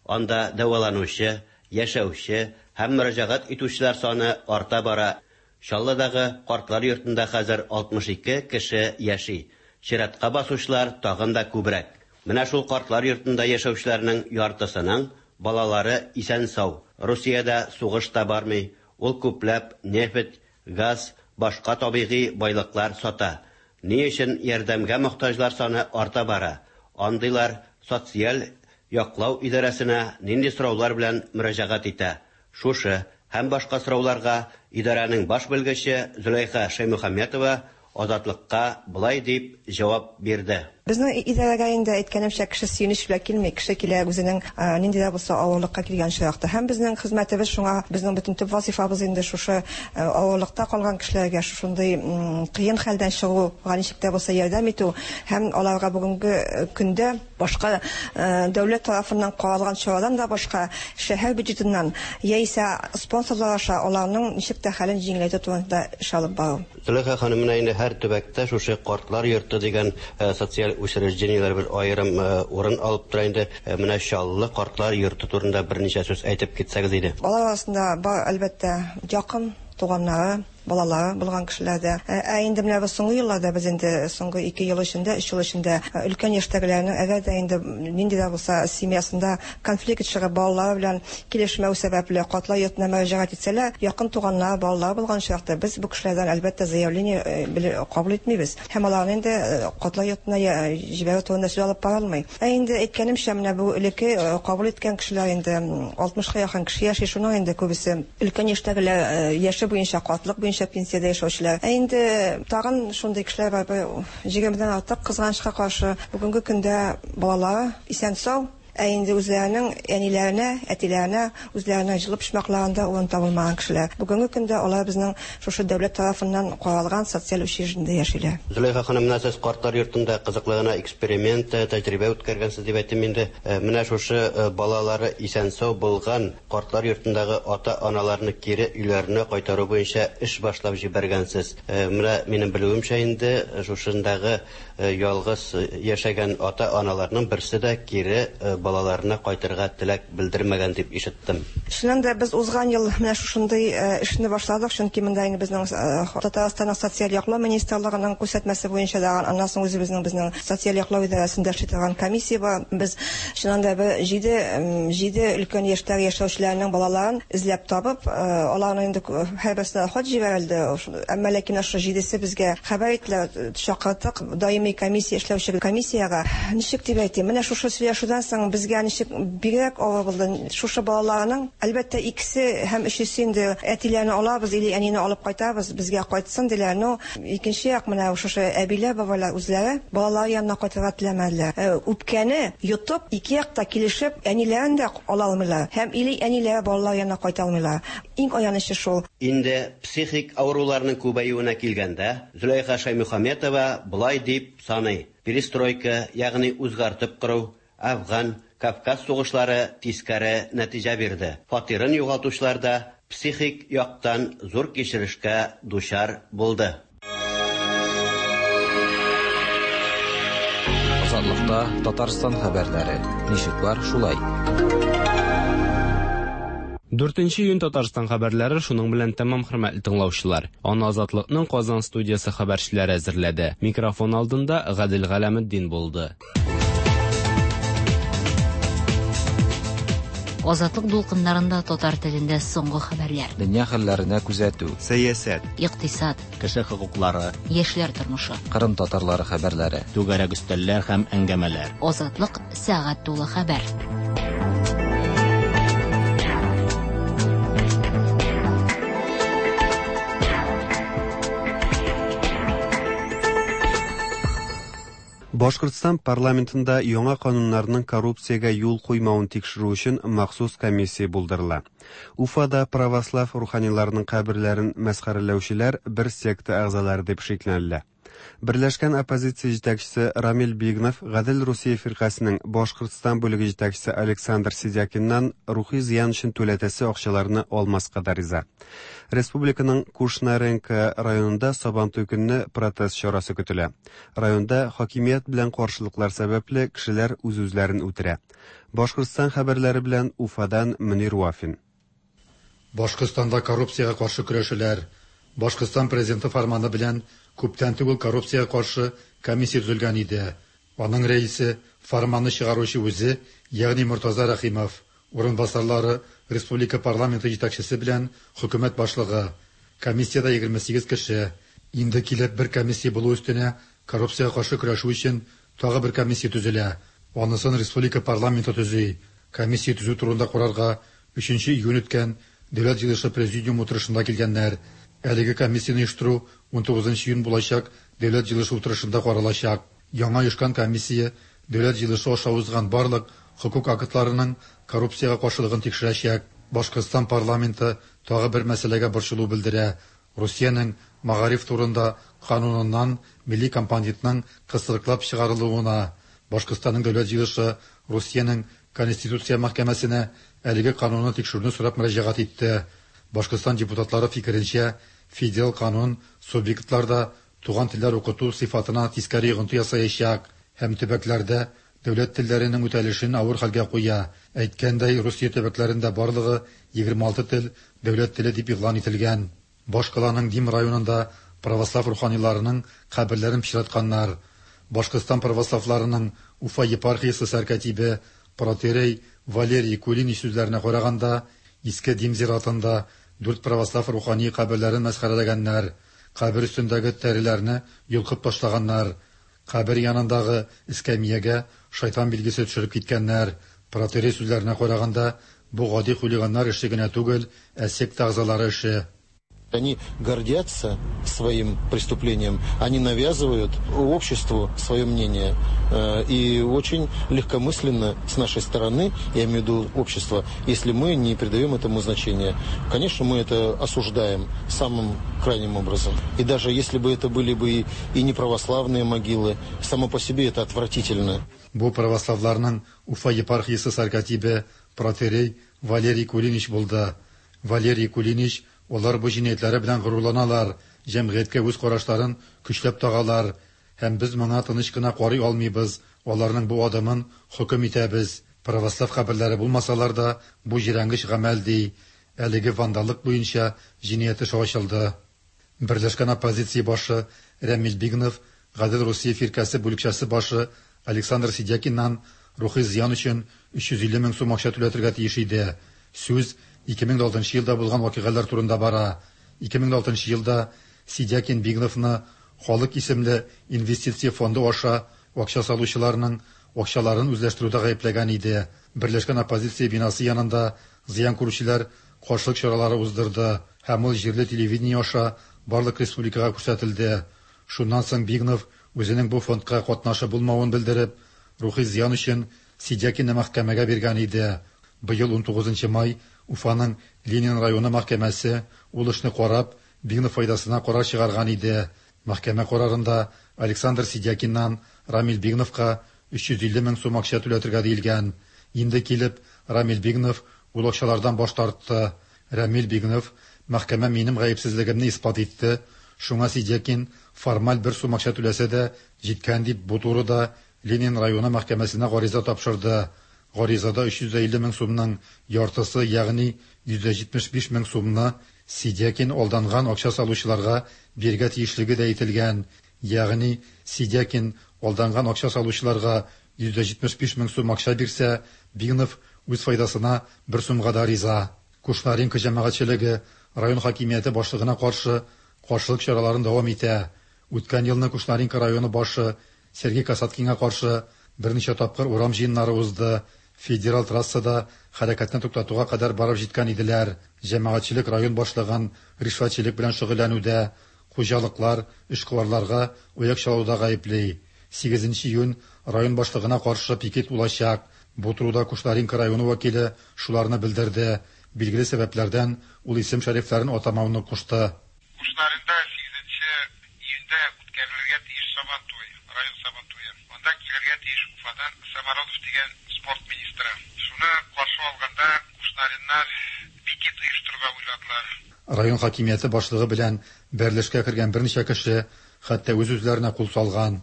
Анда дәваланучы, яшәүче һәм мөрәҗәгать итүчеләр саны арта бара. Чаллыдагы картлар йортында хәзер 62 кеше яши. Чиратка басучылар тагын да күбрәк. Менә шул картлар йортында яшәүчеләрнең яртысының балалары исән-сау. Русиядә сугыш та бармый, ул күпләп нефть, газ, башка табигый байлыклар сата. Ни өчен ярдәмгә мохтаҗлар саны арта бара? Андыйлар социаль яклау идарәсенә нинди сораулар белән мөрәҗәгать итә? Шушы һәм башка сорауларга идарәнең баш белгече Зөләйха Шәймөхәммәтова Азатлыкка болай дип җавап бирде. Безнең идарәгә инде әйткәнемчә кеше сөенеч белән килми, кеше килә үзенең нинди дә булса авырлыкка килгән очракта. Һәм безнең хезмәтебез шуңа, безнең бөтен төп вазифабыз инде шушы авырлыкта калган кешеләргә шушындый кыен хәлдән чыгуга ничек тә булса ярдәм итү һәм аларга бүгенге көндә башка дәүләт тарафыннан каралган чарадан да башка шәһәр бюджетыннан яисә спонсорлар аша аларның ничек тә хәлен җиңеләйтү турында эш алып бару. Зөләйха ханым, менә инде һәр төбәктә шушы картлар йорты дигән социаль учреждениеләр бер аерым урын алып тора инде. Менә Чаллы картлар йорты турында берничә сүз әйтеп китсәгез иде. Алар арасында бар, әлбәттә, якын туганнары, балалары булган кешеләр дә. Ә инде менә без соңгы елларда, без инде соңгы 2 ел эчендә, 3 ел эчендә өлкән яшьтәгеләрнең әгәр дә инде нинди дә булса семьясында конфликт чыгып, балалары белән килешмәү сәбәпле картлар йортына мөрәҗәгать итсәләр, якын туганнары, балалары булган очракта без бу кешеләрдән әлбәттә заявление кабул итмибез. Һәм аларны инде картлар йортына җибәрү турында сүз алып барылмый. Ә инде әйткәнемчә, менә бу элекке кабул иткән кешеләр инде 60-ка якын кеше яши, шуның инде күбесе өлкән яшьтәгеләр, яше буенча, картлык буенча пенсиядә яшәүчеләр. Ә инде тагын шундый кешеләр бар, 20-дән артык, кызганычка каршы, бүгенге көндә балалары исән-сау, ә инде үзләренең әниләренә, әтиләренә, үзләренең җылы почмакларында урын табылмаган кешеләр. Бүгенге көндә алар безнең шушы дәүләт тарафыннан каралган социаль учреждениедә яшиләр. Зөләйха ханым, менә сез картлар йортында кызыклы гына эксперимент, тәҗрибә үткәргәнсез дип әйтим инде. Менә шушы балалары исән-сау булган картлар йортындагы ата-аналарны кире өйләренә кайтару буенча эш башлап җибәргәнсез. Менә минем белүемчә инде шушындагы ялгыз яшәгән ата-аналарның берсе дә кире балаларына кайтырга теләк белдермәгән дип ишеттем. Чыннан да без узган ел менә шушындый эшне башладык, чөнки монда инде безнең Татарстанның социаль яклау министрлыгының күрсәтмәсе буенча да, аннан соң үзебезнең безнең социаль яклау идарәсендә эшли торган комиссия бар. Без чыннан да бер җиде өлкән яшьтәге яшәүчеләрнең балаларын эзләп табып, аларны инде һәрберсенә хат җибәрелде. Әмма ләкин шушы җидесе безгә хәбәр иттеләр, чакырттык даими комиссия эшләүче комиссиягә. Ничек дип әйтим, менә шушы сөйләшүдән соң безгә ничек бигрәк авыр булды. Шушы балаларның, әлбәттә, икесе һәм өчесе инде әтиләрне алабыз или әнине алып кайтабыз, безгә кайтсын диләр. Но икенче як менә шушы әбиләр, бабайлар үзләре балалар янына кайтырга теләмәделәр. Үпкәне йотып, ике якта килешеп, әниләрен дә ала алмыйлар һәм или әниләре балалар янына кайта алмыйлар. Иң аянычы шул. Инде психик авыруларның күбәюенә килгәндә, Зөләйха Шәймөхәммәтова болай дип саный: перестройка, ягъни үзгәртеп кору, Афган, Кавказ сугышлары тискәре нәтиҗә бирде. Фатирын югалтучылар да психик яктан зур кичерешкә дучар булды. Азатлыкта Татарстан хәбәрләре. Ничек бар, шулай. 4 июнь Татарстан хәбәрләре шуның белән тәмам, хөрмәтле тыңлаучылар. Аны Азатлыкның Казан студиясе хәбәрчеләре әзерләде. Микрофон алдында Гадел Галәметдин булды. Азатлык дулкыннарында татар телендә соңгы хәбәрләр. Дөнья хәлләренә күзәтү. Сәясәт. Икътисад. Кеше хокуклары. Яшьләр тормышы. Кырым татарлары хәбәрләре. Түгәрәк өстәлләр һәм әңгәмәләр. Азатлык сәгать тулы хәбәр. Башкортстан парламентында яңа кануннарның коррупциягә юл куймавын тикшерү өчен махсус комиссия булдырыла. Уфада православ руханиларының каберләрен мәсхәрәләүчеләр бер секта әгъзалары дип шикләнелә. Берләшкән оппозиция җитәкчесе Рамил Бигнов Гадел Русия фиркасенең Башкортстан бүлеге җитәкчесе Александр Сидякиннан рухи зыян өчен түләтәсе акчаларны алмаска да риза. Республиканың Кушнаренко районында Сабантуй көнне протест чарасы көтелә. Районда хакимият белән каршылыклар сәбәпле кешеләр үз-үзләрен үтерә. Башкортстан хәбәрләре белән Уфадан Мөнир Вафин. Башкортстанда коррупциягә каршы көрәшәләр. Башкортстан президенты фәрманы белән күптән түгел коррупциягә каршы комиссия төзелгән иде. Аның рәисе фәрманны чыгаручы үзе, ягъни Мортаза Рәхимов, урынбасарлары республика парламенты җитәкчесе белән хөкүмәт башлыгы. Комиссиядә 28 кеше. Инде килеп бер комиссия булу өстенә коррупциягә каршы көрәшү өчен тагы бер комиссия төзелә. Анысын республика парламенты төзи. Комиссия төзү турында карарга 3 июнь үткән Дәүләт җыелышы президиум утырышында килгәннәр. Әлеге комиссияне оештыру 19 июнь булачак Дәүләт җыелышы утырышында каралачак. Яңа оешкан комиссия Дәүләт җыелышы аша узган барлык хокук актларының коррупциягә каршылыгын тикшерәчәк. Башкортстан парламенты тагы бер мәсьәләгә борчылу белдерә. Русиянең мәгариф турында кануныннан милли компонентның кысрыклап чыгарылуына. Башкортстанның Дәүләт җыелышы Русиянең Конституция мәхкәмәсенә әлеге канунны тикшерүне сорап мөрәҗәгать итте. Башкортстан депутатлары фикеренчә, федераль канун субъектларда туган телләр укыту сыйфатына тискәре йогынты ясаячак һәм төбәкләрдә дәүләт телләренең үтәлешен авыр хәлгә куя. Әйткәндәй, Русия төбәкләрендә барлыгы 26 тел дәүләт теле дип игълан ителгән. Башкаланың Дим районында православ руханиларының каберләрен пычратканнар. Башкортстан православларының Уфа епархиясе сәркатибе протоиерей Валерий Кулинич сүзләренә караганда, Иске Дим зиратында дүрт православ рухани каберләрен мәсхәрәләгәннәр, кабер өстендәге тәреләрне йолкып ташлаганнар, кабер янындагы эскәмиягә шайтан билгесе төшереп киткәннәр. Протоиерей сүзләренә караганда, бу гади хулиганнар эше генә түгел, ә секта әгъзалары эше. Они гордятся своим преступлением, они навязывают обществу свое мнение. И очень легкомысленно с нашей стороны, я имею в виду общество, если мы не придаем этому значения. Конечно, мы это осуждаем самым крайним образом. И даже если бы это были бы и неправославные могилы, само по себе это отвратительно. Бу православларның Уфа епархиясе сәркатибе протоиерей Валерий Кулинич булды. Валерий Кулинич: "Алар бу җинаятьләре белән горурланалар, җәмгыятькә үз карашларын көчләп тагалар һәм без моңа тыныч кына карый алмыйбыз. Аларның бу адымын хөкем итәбез. Православ каберләре булмасалар да, бу җирәнгеч гамәл", ди. Әлеге вандаллык буенча җинаять эше ачылды. Берләшкән оппозиция башы Рәмил Бигнов Гадел Русия фиркасе бүлекчәсе башы Александр Сидякиннан рухи зыян өчен 350 мең сум акча түләтергә тиеш иде. Сүз 2006 елда булган вакыйгалар турында бара. 2006 елда Сидякин Бигновны Халык исемле инвестиция фонды аша акча салучыларның акчаларын үзләштерүдә гаепләгән иде. Берләшкән оппозиция бинасы янында зыян күрүчеләр каршылык чаралары уздырды һәм ул җирле телевидение аша барлык республикага күрсәтелде. Шуннан соң Бигнов үзенең бу фондка катнашы булмавын белдереп, рухи зыян өчен Сидякинны мәхкәмәгә биргән иде. Быел 19 май Уфаның Ленин районы мәхкәмәсе ул эшне карап, Бигнов файдасына карар чыгарган иде. Мәхкәмә карарында Александр Сидякиннан Рамил Бигновка 350 мең сум акча түләтергә диелгән. Инде килеп, Рамил Бигнов ул акчалардан баш тартты. Рамил Бигнов: "Мәхкәмә минем гаепсезлегемне исбат итте, шуңа Сидякин формаль бер сум акча түләсә дә җиткән", дип бу турыда Ленин районы мәхкәмәсенә гариза тапшырды. Гаризада 350 мең сумның яртысы, ягъни 175 мең сумны Сидякин алданган акча салучыларга бирергә тиешлеге дә әйтелгән. Ягъни Сидякин алданган акча салучыларга 175 мең сум акча бирсә, Бигнов үз файдасына бер сумга да риза. Кушнаренко җәмәгатьчелеге район хакимияте башлыгына каршы каршылык чараларын дәвам итә. Үткән елны Кушнаренко районы башы Сергей Касаткинга каршы берничә тапкыр урам җыеннары узды, федераль трассада хәрәкәтне туктатуга кадәр барып җиткән иделәр. Җәмәгатьчелек район башлыгын ришвәтчелек белән шөгыльләнүдә, хуҗалыклар, эшкуарларга аяк чалуда гаепли. 8 июнь район башлыгына каршы пикет булачак. Бу турыда Кушнаренко районы вәкиле шуларны белдерде. Билгеле сәбәпләрдән ул исем-шәрифләрен атамауны кушты. Кушнаренда 8 июньдә үткәрелергә тиеш Сабантуй, район Сабантуе. Анда килергә тиеш Уфадан Самородов дигән спорт министры. Шуны каршы алганда кушнареннар пикет оештырырга уйладылар. Район хакимияте башлыгы белән бәрелешкә кергән берничә кеше хәтта үз-үзләренә кул салган.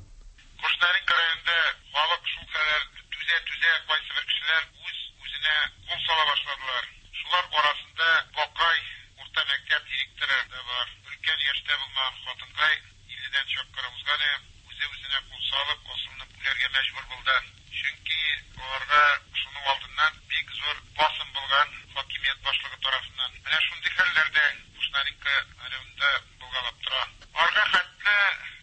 Кушнаренко районында халык шулкадәр түзә-түзә, кайсыбер кешеләр үз-үзенә кул сала башладылар. Шулар арасында Бакай урта мәктәп директоры да бар. Өлкән яшьтә булмаган хатынкай, 50-дән чак кына узган, үзе-үзенә кул салып, асылынып үләргә мәҗбүр булды. Чөнки аларга шуның алдыннан бик зур басым булган хакимият башлыгы тарафыннан. Менә шундый хәлләр дә Кушнаренко районында булгалап тора. Арга хәтле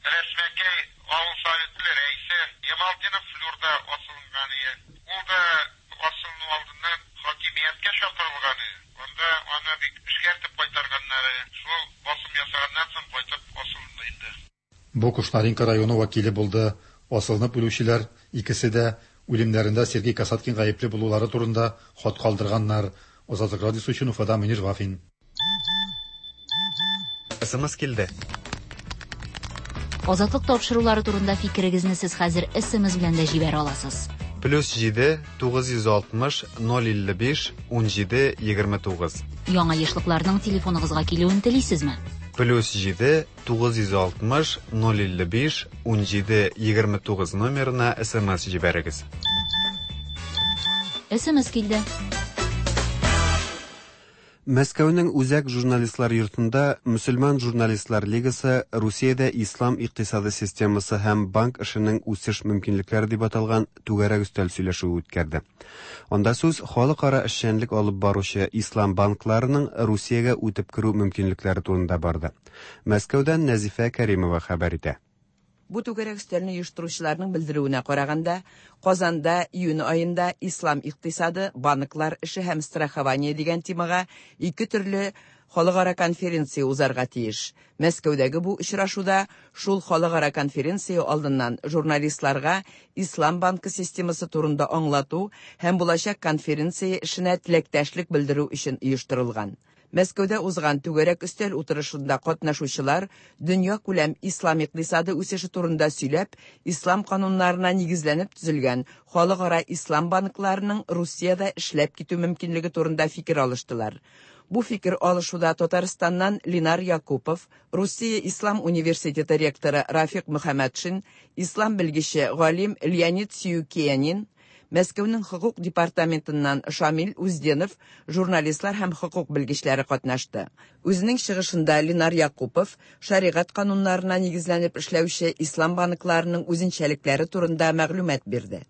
Рәсмәкәй авыл советы рәисе Ямалтдинов Флюр да асылынган ие. Ул да асылыну алдыннан хакимияткә чакырылган ие. Анда аны бик эшкәртеп кайтарганнар. Шул басым ясаганнан соң кайтып асылынды инде. Бу Кушнаренко районы вәкиле булды. Асылынып үлүчеләр икесе дә үлемнәрендә Сергей Касаткин гаепле булулары турында хат калдырганнар. Азатлык радиосы өчен Уфада Мөнир Вафин. СМС килде. Азатлык тапшырулары турында фикерегезне сез хәзер СМС белән дә җибәрә аласыз. Плюс 7 960 055 17 29. Яңа ешлыкларның телефоныгызга килүен телисезме? Плюс 7 960 055 17 29 номерына СМС җибәрегез. СМС килде. Мәскәүнең Үзәк журналистлар йортында Мөселман журналистлар лигасы Русиядә ислам икътисады системасы һәм банк эшенең үсеш мөмкинлекләре дип аталган түгәрәк өстәл сөйләшүе үткәрде. Анда сүз халыкара эшчәнлек алып баручы ислам банкларының Русиягә үтеп керү мөмкинлекләре турында барды. Мәскәүдән Нәзифә Кәримова хәбәр итә. Бу түгәрәк өстәлне оештыручыларның белдерүенә караганда, Казанда июнь аенда ислам икътисады, банклар эше һәм страхование дигән темага ике төрле халыкара конференция узарга тиеш. Мәскәүдәге бу очрашуда шул халыкара конференция алдыннан журналистларга Ислам банкы системасы турында аңлату һәм булачак конференция эшенә теләктәшлек белдерү өчен оештырылган. Мәскәүдә узган түгәрәк өстәл утырышында катнашучылар дөнья күләм ислам икътисады үсеше турында сөйләп, ислам кануннарына нигезләнеп төзелгән халыкара ислам банкларының Русиядә эшләп китү мөмкинлеге турында фикер алыштылар. Бу фикер алышуда Татарстаннан Линар Якупов, Русия Ислам университеты ректоры Рафик Мөхәммәтшин, ислам белгече галим Леонид Сиюкиянин, Мәскәүнең хокук департаментыннан Шамил Узденов, журналистлар һәм хокук белгечләре катнашты. Үзенең чыгышында Линар Якупов шәригать кануннарына нигезләнеп эшләүче ислам банкларының үзенчәлекләре турында мәгълүмат бирде.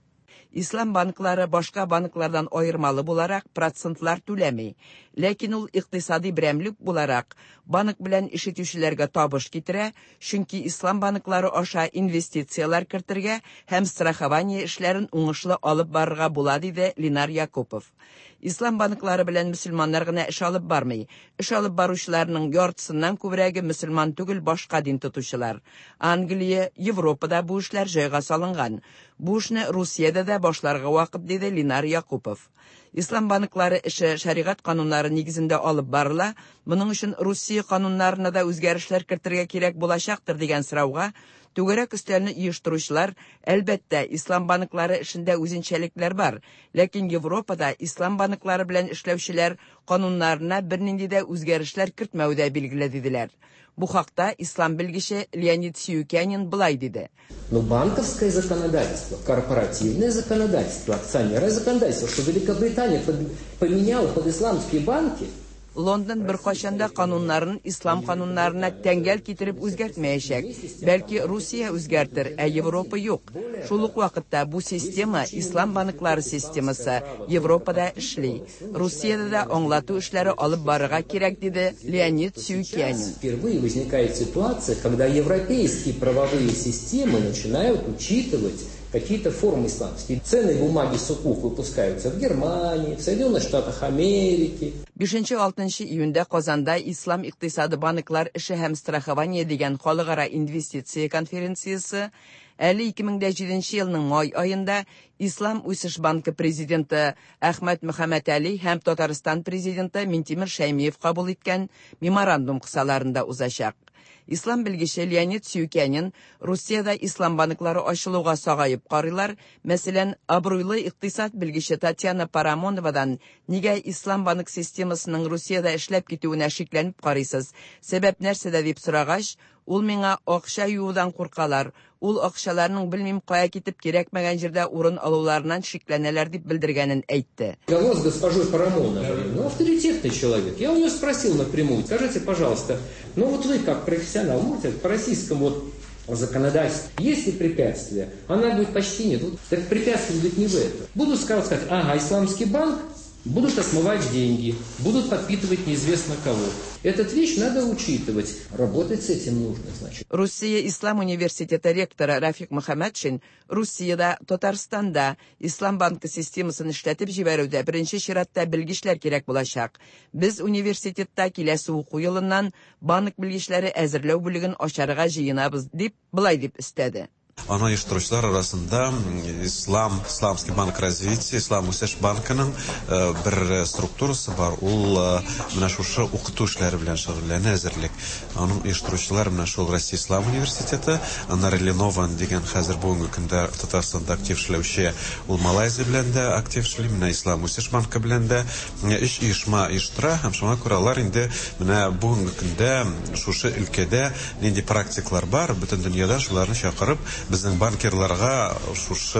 Ислам банклары башка банклардан аермалы буларак процентлар түләми. Ләкин ул икътисади берәмлек буларак банк белән эш итүчеләргә табыш китерә, чөнки ислам банклары аша инвестицияләр кертергә һәм страхование эшләрен уңышлы алып барырга була, диде Линар Якупов. Ислам банклары белән мөселманнар гына эш алып бармый. Эш алып баручыларның яртысыннан күбрәге мөселман түгел, башка дин тотучылар. Англия, Европада бу эшләр җайга салынган. Бу эшне Русиядә дә башларга вакыт, диде Линар Якупов. Ислам банклары эше шәригать кануннары нигезендә алып барыла. Моның өчен Русия кануннарына да үзгәрешләр кертергә кирәк булачактыр дигән сорауга Түгәрәк өстәлне оештыручылар, әлбәттә, ислам банклары эшендә үзенчәлекләр бар, ләкин Европада ислам банклары белән эшләүчеләр кануннарына бернинди дә үзгәрешләр кертмәве дә билгеле, диделәр. Бу хакта ислам белгече Леонид Сиюкянин болай диде. Но банковское законодательство, корпоративное законодательство, акционерное законодательство, что Великобритания поменяла под исламские банки, Лондон беркайчан да кануннарын ислам кануннарына тәңгәл китереп үзгәртмәячәк. Бәлки Русия үзгәртер, ә Европа юк. Шул ук вакытта бу система, ислам банклары системасы, Европада эшли. Русиядә дә аңлату эшләре алып барырга кирәк, диде Леонид Сюкянин. Впервые возникает ситуация, когда европейские правовые системы начинают учитывать какие-то формы исламские. Ценные бумаги сукук выпускаются в Германии, в Соединенных Штатах Америки. 5-6 июньдә Казанда Ислам икътисады банклар эше һәм страхование дигән халыкара инвестиция конференциясе әле 2007 елның май аенда Ислам үсеш банкы президенты Әхмәт Мөхәммәтәли һәм Татарстан президенты Минтимер Шәймиев кабул иткән меморандум кысаларында узачак. Ислам белгече Леонид Сюкянин Русиядә ислам банклары ачылуга сагаеп карыйлар. Мәсәлән, абруйлы икътисад белгече Татьяна Парамоновадан нигә ислам банк системасының Русиядә эшләп китүенә шикләнеп карыйсыз? Сәбәп нәрсәдә дип сорагач, ул миңа акча юудан куркалар. Ул акчаларның белмим кая китеп кирәкмәгән җирдә урын алуларыннан шикләнәләр дип белдергәнен әйтте. Разговор с госпожой Парамоновой, ну, авторитетный человек. Я у нее спросил напрямую, скажите, пожалуйста, ну вот вы как профессионал, можете по российскому вот законодательству, есть ли препятствия? Она говорит, почти нет. Вот, так препятствие, говорит, не в этом. Будут сказать, ага, исламский банк, будут отмывать деньги, будут подпитывать неизвестно кого. Этот вещь надо учитывать. Работать с этим нужно, значит. Русия Ислам университеты ректоры Рафик Мөхәммәтшин Русиядә, Татарстанда Ислам банкы системасын эшләтеп җибәрүдә беренче чиратта белгечләр кирәк булачак. Без университетта киләсе уку елыннан банк белгечләре әзерләү бүлеген ачарга җыенабыз, дип болай дип өстәде. Аны оештыручылар арасында Ислам, Исламский банк развития, Ислам үсеш банкының бер структурасы бар. Ул менә шушы укыту эшләре белән шөгыльләнә, әзерлек. Аның оештыручылар менә шул Россия Ислам университеты, аннары Ленован дигән хәзер бүгенге көндә Татарстанда актив эшләүче, ул Малайзия белән дә актив эшли, менә Ислам үсеш банкы белән дә өч оешма оештыра һәм шуңа күрә алар инде менә бүгенге көндә шушы өлкәдә нинди практиклар бар, бөтен дөньядан шуларны чакырып, безнең банкирларга шушы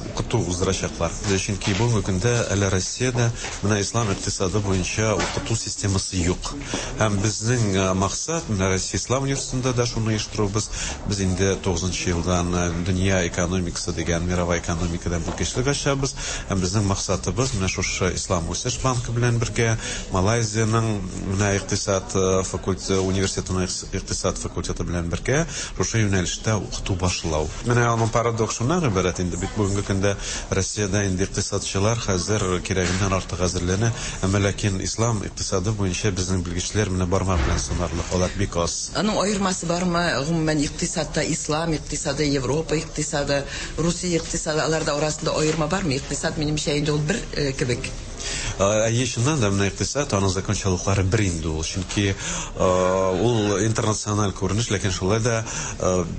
укыту уздырачаклар. Чөнки бүгенге көндә әле Россиядә менә ислам икътисады буенча укыту системасы юк. Һәм безнең максат менә Россия Ислам университетында да шуны оештырубыз. Без инде 9 елдан дөнья экономикасы дигән мировая экономикадан белгечлек ачабыз. Һәм безнең максатыбыз менә шушы Ислам үсеш банкы белән бергә Малайзиянең менә икътисад факультеты университетының икътисад факультеты белән бергә шушы юнәлештә укыту башлау. Менә аның парадокс шуннан гыйбарәт инде бит бүгенге көндә Россиядә инде икътисадчылар хәзер кирәгеннән артык әзерләнә, әмма ләкин ислам икътисады буенча безнең белгечләр менә бармак белән санарлык, алар бик аз. Аның аермасы бармы, гомумән икътисадта ислам икътисады, Европа икътисады, Русия икътисады, аларда арасында аерма бармы? Икътисад минемчә инде ул бер кебек. Әйе, чыннан да менә икътисад, аның закончалыклары бер инде ул, чөнки ул интернациональ күренеш, ләкин шулай да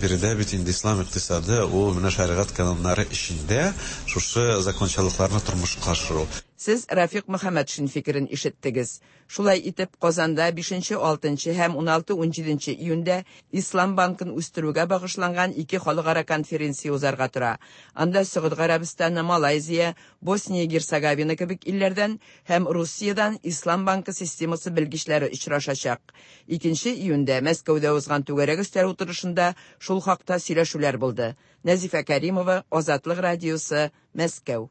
биредә бит инде ислам икътисады, ул менә шәригать кануннары эчендә шушы закончалыкларны тормышка ашыру. Сез Рафик Мөхәммәтшин фикерен ишеттегез. Шулай итеп, Казанда 5-6 һәм 16-17 июньдә Ислам банкын үстерүгә багышланган ике халыкара конференция узарга тора. Анда Согуд Гарәбстаны, Малайзия, Босния Герцеговина кебек илләрдән һәм Русиядән Ислам банкы системасы белгечләре очрашачак. 2 июньдә Мәскәүдә узган түгәрәк өстәл утырышында шул хакта сөйләшүләр булды. Нәзифә Кәримова, Азатлык радиосы, Мәскәү.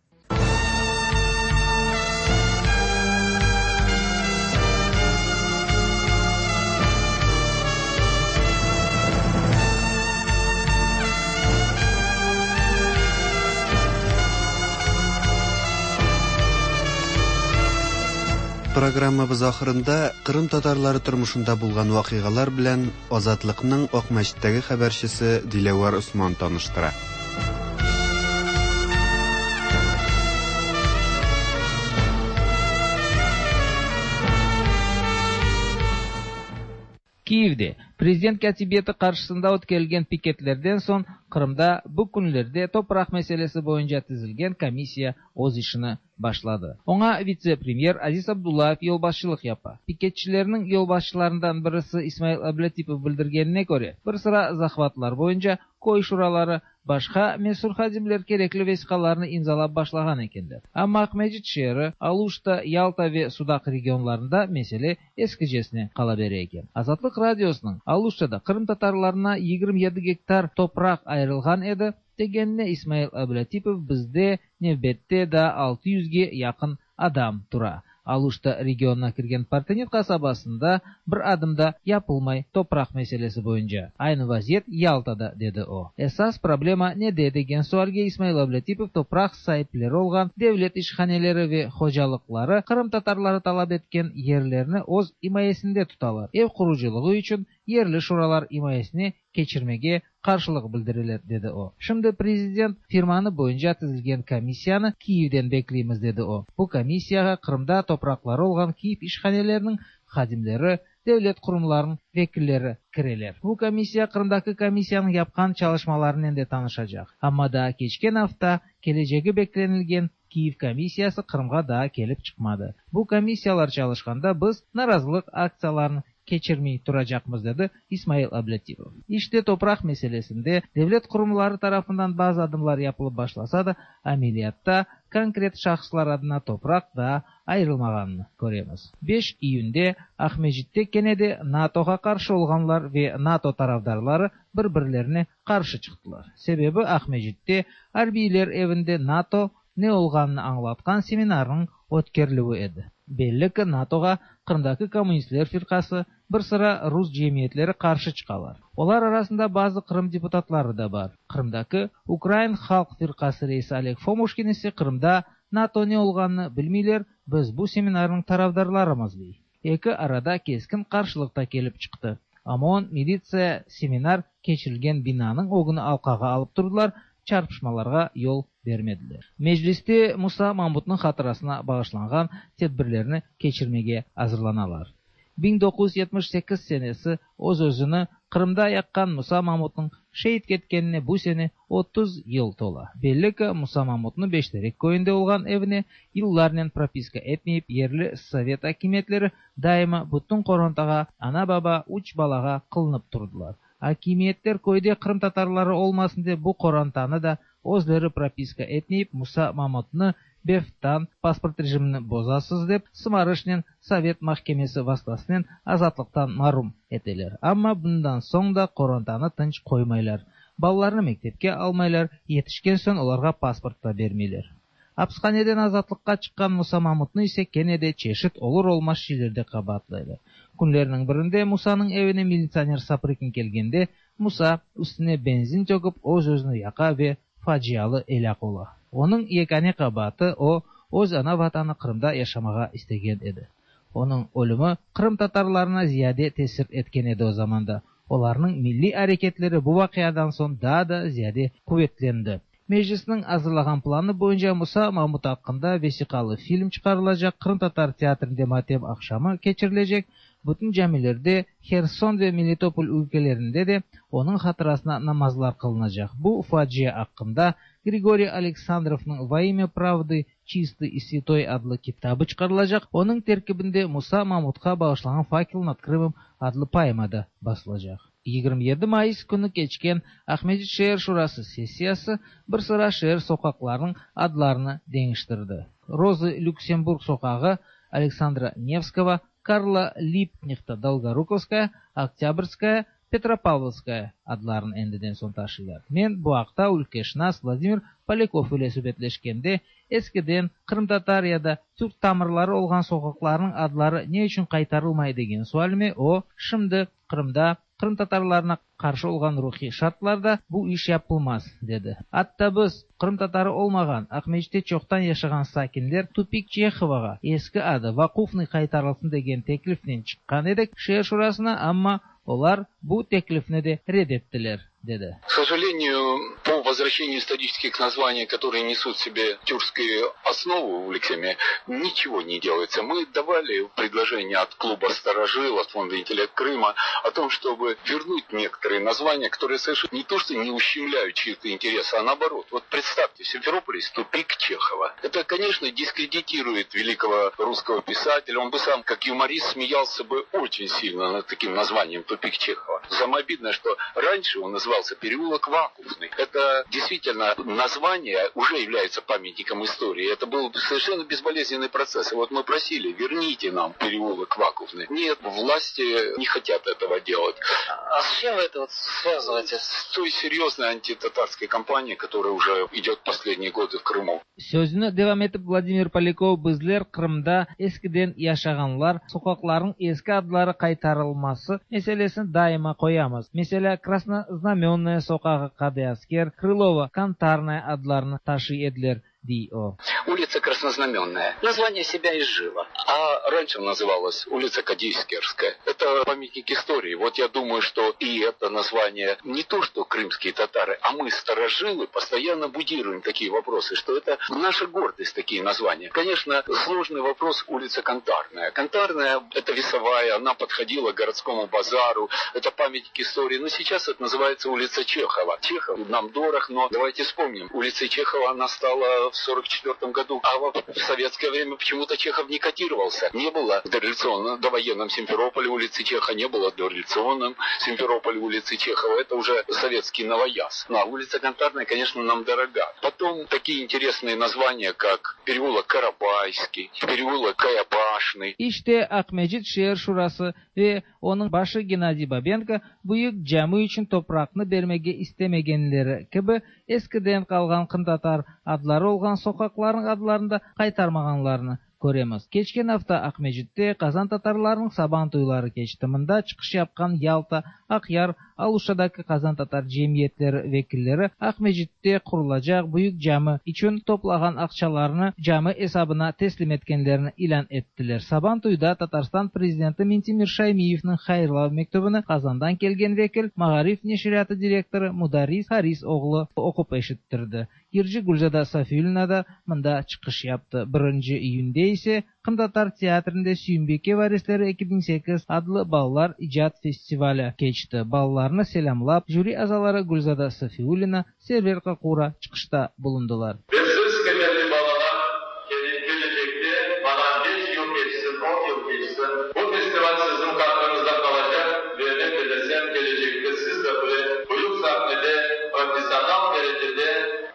Программабыз ахырында Кырым татарлары тормышында булган вакыйгалар белән Азатлыкның Акмәчеттәге хәбәрчесе Диләвәр Осман таныштыра. Kiyevde prezident kâtibiyeti qarşısında ötkerilgen piketlerden soñ Qırımda bu künlerde topraq meselesi boyunca tizilgen komissiya öz işini başladı. Oña vitse-premyer Aziz Abdullayev yolbaşçılıq yapa. Piketçilerniñ yolbaşçılarından birisi İsmail Ablâtipov bildirgenine köre, bir sıra zahvatlar boyunca köy şuraları, başqa mesül hadimler kerekli vesiqalarnı imzalap başlağan ekenler. Amma Aqmescit şeeri, Aluşta, Yalta ve Sudaq regionlarında mesele eskicesine qala bere eken. Azatlıq Radiosınıñ Aluştada qırımtatarlarına 27 gektar topraq ayırılğan edi, degenine İsmail Ablâtipov bizde nevbette daa altı yüzge yaqın adam tura. Aluşta regionına kirgen Partenit qasabasında bir adım da yapılmay topraq meselesi boyunca. Aynı vaziyet Yaltada, dedi o. Esas problema nede degen sualge İsmail Ablâtipov topraq saipleri olğan devlet işhaneleri ve hocalıqları qırımtatarları talap etken yerlerni öz imayesinde tutalar, ev qurucılığı içün yerli şuralar imayesine keçirmege qarşılıq bildireler, dedi o. Şimdi prezident firmanı boyunca tizilgen komissiyanı Kiyevden bekleymiz, dedi o. Bu komissiyağa Qırımda topraqları olğan Kiyev işhaneleriniñ hadimleri, devlet qurumlarınıñ vekilleri kireler. Bu komissiya Qırımdaki komissiyanıñ yapqan çalışmalarınen de tanışacaq. Amma daa keçken afta kelecegi beklenilgen Kiyev komissiyası Qırımğa daa kelip çıqmadı. Bu komissiyalar çalışqanda biz narazılıq aktsiyalarını keçirmey turacaqmız, dedi İsmail Ablâtipov. İşte, topraq meselesinde devlet qurumları tarafından bazı adımlar yapılıp başlasa da, ameliyatta konkret şahıslar adına topraq daa ayırılmağanını köremiz. Beş iyünde Aqmescitte kene de NATOğa qarşı olğanlar ve NATO tarafdarları bir-birlerine qarşı çıqtılar. Sebebi, Aqmescitte arbiyler evinde NATO ne olğanını añlatqan seminarnıñ ötkerilüvi edi. Belli ki, NATOğa Qırımdaki Kommunistler firqası, bir sıra rus cemiyetleri qarşı çıqalar. Olar arasında bazı Qırım deputatları da bar. Qırımdaki Ukrain halq firqası reisi Oleg Fomuşkin ise Qırımda NATO ne olğanını bilmeyler, biz bu seminarnıñ tarafdarlarımız, dey. Eki arada keskin qarşılıq ta kelip çıqtı. OMON, militsiya seminar keçirilgen binanıñ ögüni alqağa alıp turdılar, çarpışmalarğa yol bermediler. Mecliste Musa Mamutnıñ hatırasına bağışlanğan tedbirlerni keçirmege azırlanalar. 1978 senesi öz-özüni Qırımda yaqqan Musa Mamutnıñ şeit ketkenine bu sene 30 yıl tola. Belli ki, Musa Mamutnı Beşterek köyünde olğan evine yıllarnen propiska etmeyip yerli sovet akimiyetleri daima bütün qorantağa, ana-baba, üç balağa qılınıp turdılar. Akimiyetler köyde qırımtatarları olmasın dep bu qorantanı da özleri propiska etmeyip Musa Mamutnı beftan pasport rejimini bozasız dep sımarışnen sovet mahkemesi vastasınen azatlıqtan marum eteler. Amma bundan soñ da qorantanı tınç qoymaylar. Balalarnı mektepke almaylar, yetişken soñ olarğa pasport da bermeyler. Apishaneden azatlıqqa çıqqan Musa Mamutnı ise kene de çeşit olur-olmaz şeylerde qabaatlaylar. Künlerniñ birinde Musanıñ evine militsioner Saprıkin kelgende, Musa, üstüne benzin töküp, öz-özüni yaqa ve facialı elâk ola. Onıñ yekâne qabaatı, o, öz ana-Vatanı Qırımda yaşamağa istegen edi. Onıñ ölümi qırımtatarlarına ziyade tesir etken edi o zamanda. Olarnıñ milliy areketleri bu vaqiadan soñ daa da ziyade quvetlendi. Meclisniñ azırlağan planı boyunca Musa Mamut aqqında vesiqalı film çıqarılacaq, qırımtatar teatrinde matem aqşamı keçirilecek, bütün camilerde, Herson ve Melitopol ülkelerinde de onıñ hatırasına namazlar qılınacaq. Bu facia aqqında Grigoriy Aleksandrovnıñ Vo imya pravdı çistıy i svâtoy adlı kitabı çıqarılacaq, onıñ terkibinde Musa Mamutqa bağışlanğan Fakel nad Krımom adlı poema da basılacaq. 27 mayıs künü keçken Aqmescit şeer şurası sessiyası bir sıra şeer soqaqlarınıñ adlarını deñiştirdi. Rozı Lüksemburg soqağı Aleksandra Nevskogo, Karla Libknehta Dolgorukovskaya, Oktâbrskaya, Petropavlovskaya adlarını endiden soñ taşıylar. Men bu aqta ülkeşınas Vladimir Polâkov ile subetleşkende, eskiden qırımtatar ya da türk tamırları olğan soqaqlarnıñ adları ne içün qaytarılmay degen sualime o, şimdi Qırımda qırımtatarlarına qarşı olğan ruhiy şartlarda bu iş yapılmaz, dedi. Atta biz, qırımtatarı olmağan, Aqmescitte çoqtan yaşağan sakinler Tupik Çehovağa, eski adı, Vaqufnıy qaytarılsın degen teklifnen çıqqan edik şeer şurasına, amma olar bu teklifni de red ettiler. Dedi. К сожалению, по возвращению исторических названий, которые несут в себе тюркскую основу в лексеме, ничего не делается. Мы давали предложение от клуба «Старожил», от фонда «Интеллект Крыма» о том, чтобы вернуть некоторые названия, которые совершенно не то что не ущемляют чьи-то интересы, а наоборот. Вот представьте, в Симферополе есть тупик Чехова. Это, конечно, дискредитирует великого русского писателя. Он бы сам, как юморист, смеялся бы очень сильно над таким названием «Тупик Чехова». Самое обидное, что раньше он назывался переулок Вакуфный. Это действительно название уже является памятником истории. Это был совершенно безболезненный процесс. И вот мы просили, верните нам переулок Вакуфный. Нет, власти не хотят этого делать. А с чем вы это вот связываете? С той серьезной антитатарской кампанией, которая уже идет последние годы в Крыму. Sözüni devam etip Vladimir Polyakov bizler Qırımda eskiden yaşağanlar soqaqlarnıñ eski adları qaytarılması meselesini daima qoyamız. Meselâ, Krasnoznamennaya soqağı Qadıasker, Krılova, Kantarnaya adlarını taşıy ediler, dey o. Улица Краснознаменная. Название себя изжило. А раньше называлась улица Кадиевскерская. Это памятник истории. Вот я думаю, что и это название не то, что крымские татары, а мы, старожилы, постоянно будируем такие вопросы, что это наша гордость, такие названия. Конечно, сложный вопрос улица Кантарная. Кантарная – это весовая, она подходила к городскому базару, это памятник истории. Но сейчас это называется улица Чехова. Чехов нам дорог, но давайте вспомним. Улица Чехова, она стала в 1944 году, а в советское время почему-то Чехов не котировался. Не было в дореволюционном, довоенном Симферополе улицы Чеха, не было в дореволюционном Симферополе улицы Чехова. Это уже советский новояз. Ну, а улица Кантарная, конечно, нам дорога. Потом такие интересные названия, как переулок Карабайский, переулок Каябашный. İşte Aqmescit şeer şurası ve onıñ başı Gennadiy Babenko büyük cami içün topraqnı bermege istemegenleri kibi eskiden qalğan qırımtatar adları olğan soqaqlarnıñ adlarını da qaytarmağanlarını köremiz. Keçken afta Aqmescitte qazan tatarlarınıñ saban toyları keçti. Mında çıqış yapqan Yalta, Aqyar, Aluştadaki qazan tatar cemiyetleri vekilleri Aqmescitte qurulacaq büyük cami içün toplağan aqçalarını cami esabına teslim etkenlerini ilân ettiler. Saban toyda Tatarstan prezidenti Mintimir Şaymiyevniñ hayırlav mektübini Qazandan kelgen vekil, Maarif neşriyatı direktorı Mudarris Haris oğlu oqup eşittirdi. Yırcı Gülzada Safiulina da mında çıqış yaptı. Birinci iyünde ise Qırımtatar teatrinde Süyümbike varisleri 2008 adlı balalar icat festivali keçti. Balalarnı selâmlap, jüri azaları Gülzada Safiulina, Server Kakura çıqışta bulundılar. Ve siz, qıymetli balalar, kelecekte, maña beş yıl keçsin, on yıl keçsin, bu festival siziñ hatırıñızda qalacaq ve men bilesem, kelecekte siz de böyle büyük sahnede professional derecede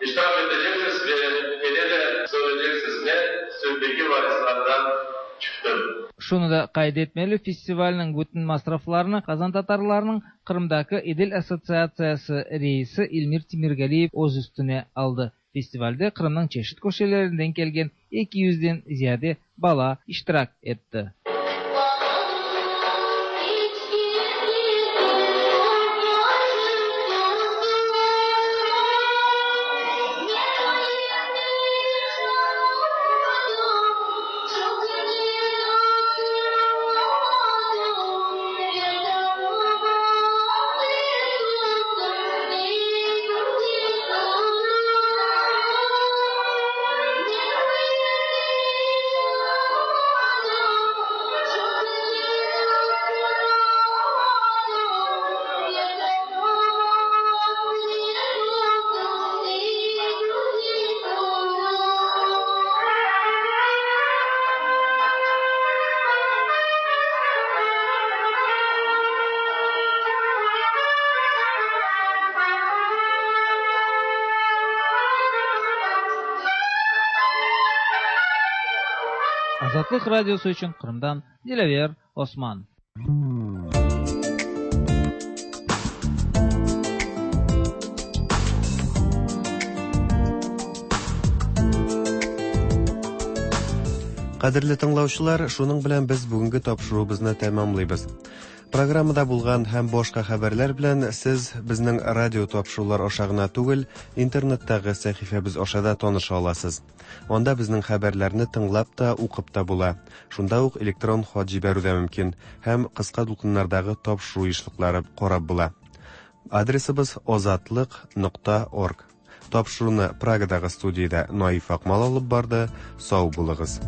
iştirak eteceksiz ve kene de söyleyeceksiz, men Süyümbike varislarından çıqtım. Şunı da qayd etmeli, festivalniñ bütün masraflarını qazantatarlarnıñ Qırımdaki Edil assotsiatsiyası reisi Elmir Temirgaliyev öz üstüne aldı. Festivalde Qırımnıñ çeşit köşelerinden kelgen eki yüzden ziyade bala iştirak etti. Azatlıq Radiosı içün Qırımdan Dilâver Osman. Кадерле тыңлаучылар, шуның белән без бүгенге тапшыруыбызны тәмамлыйбыз. Программада булган һәм башка хәбәрләр белән сез безнең радио тапшырулар аша гына түгел, интернеттагы сәхифәбез аша да таныша аласыз. Анда безнең хәбәрләрне тыңлап та, укып та була. Шунда ук электрон хат җибәрү дә мөмкин һәм кыска дулкыннардагы тапшыру ешлыклары карап була. Адресыбыз озатлык нокта орг. Тапшыруны Прагадагы студиядә Наиф Акмал алып барды. Сау булыгыз.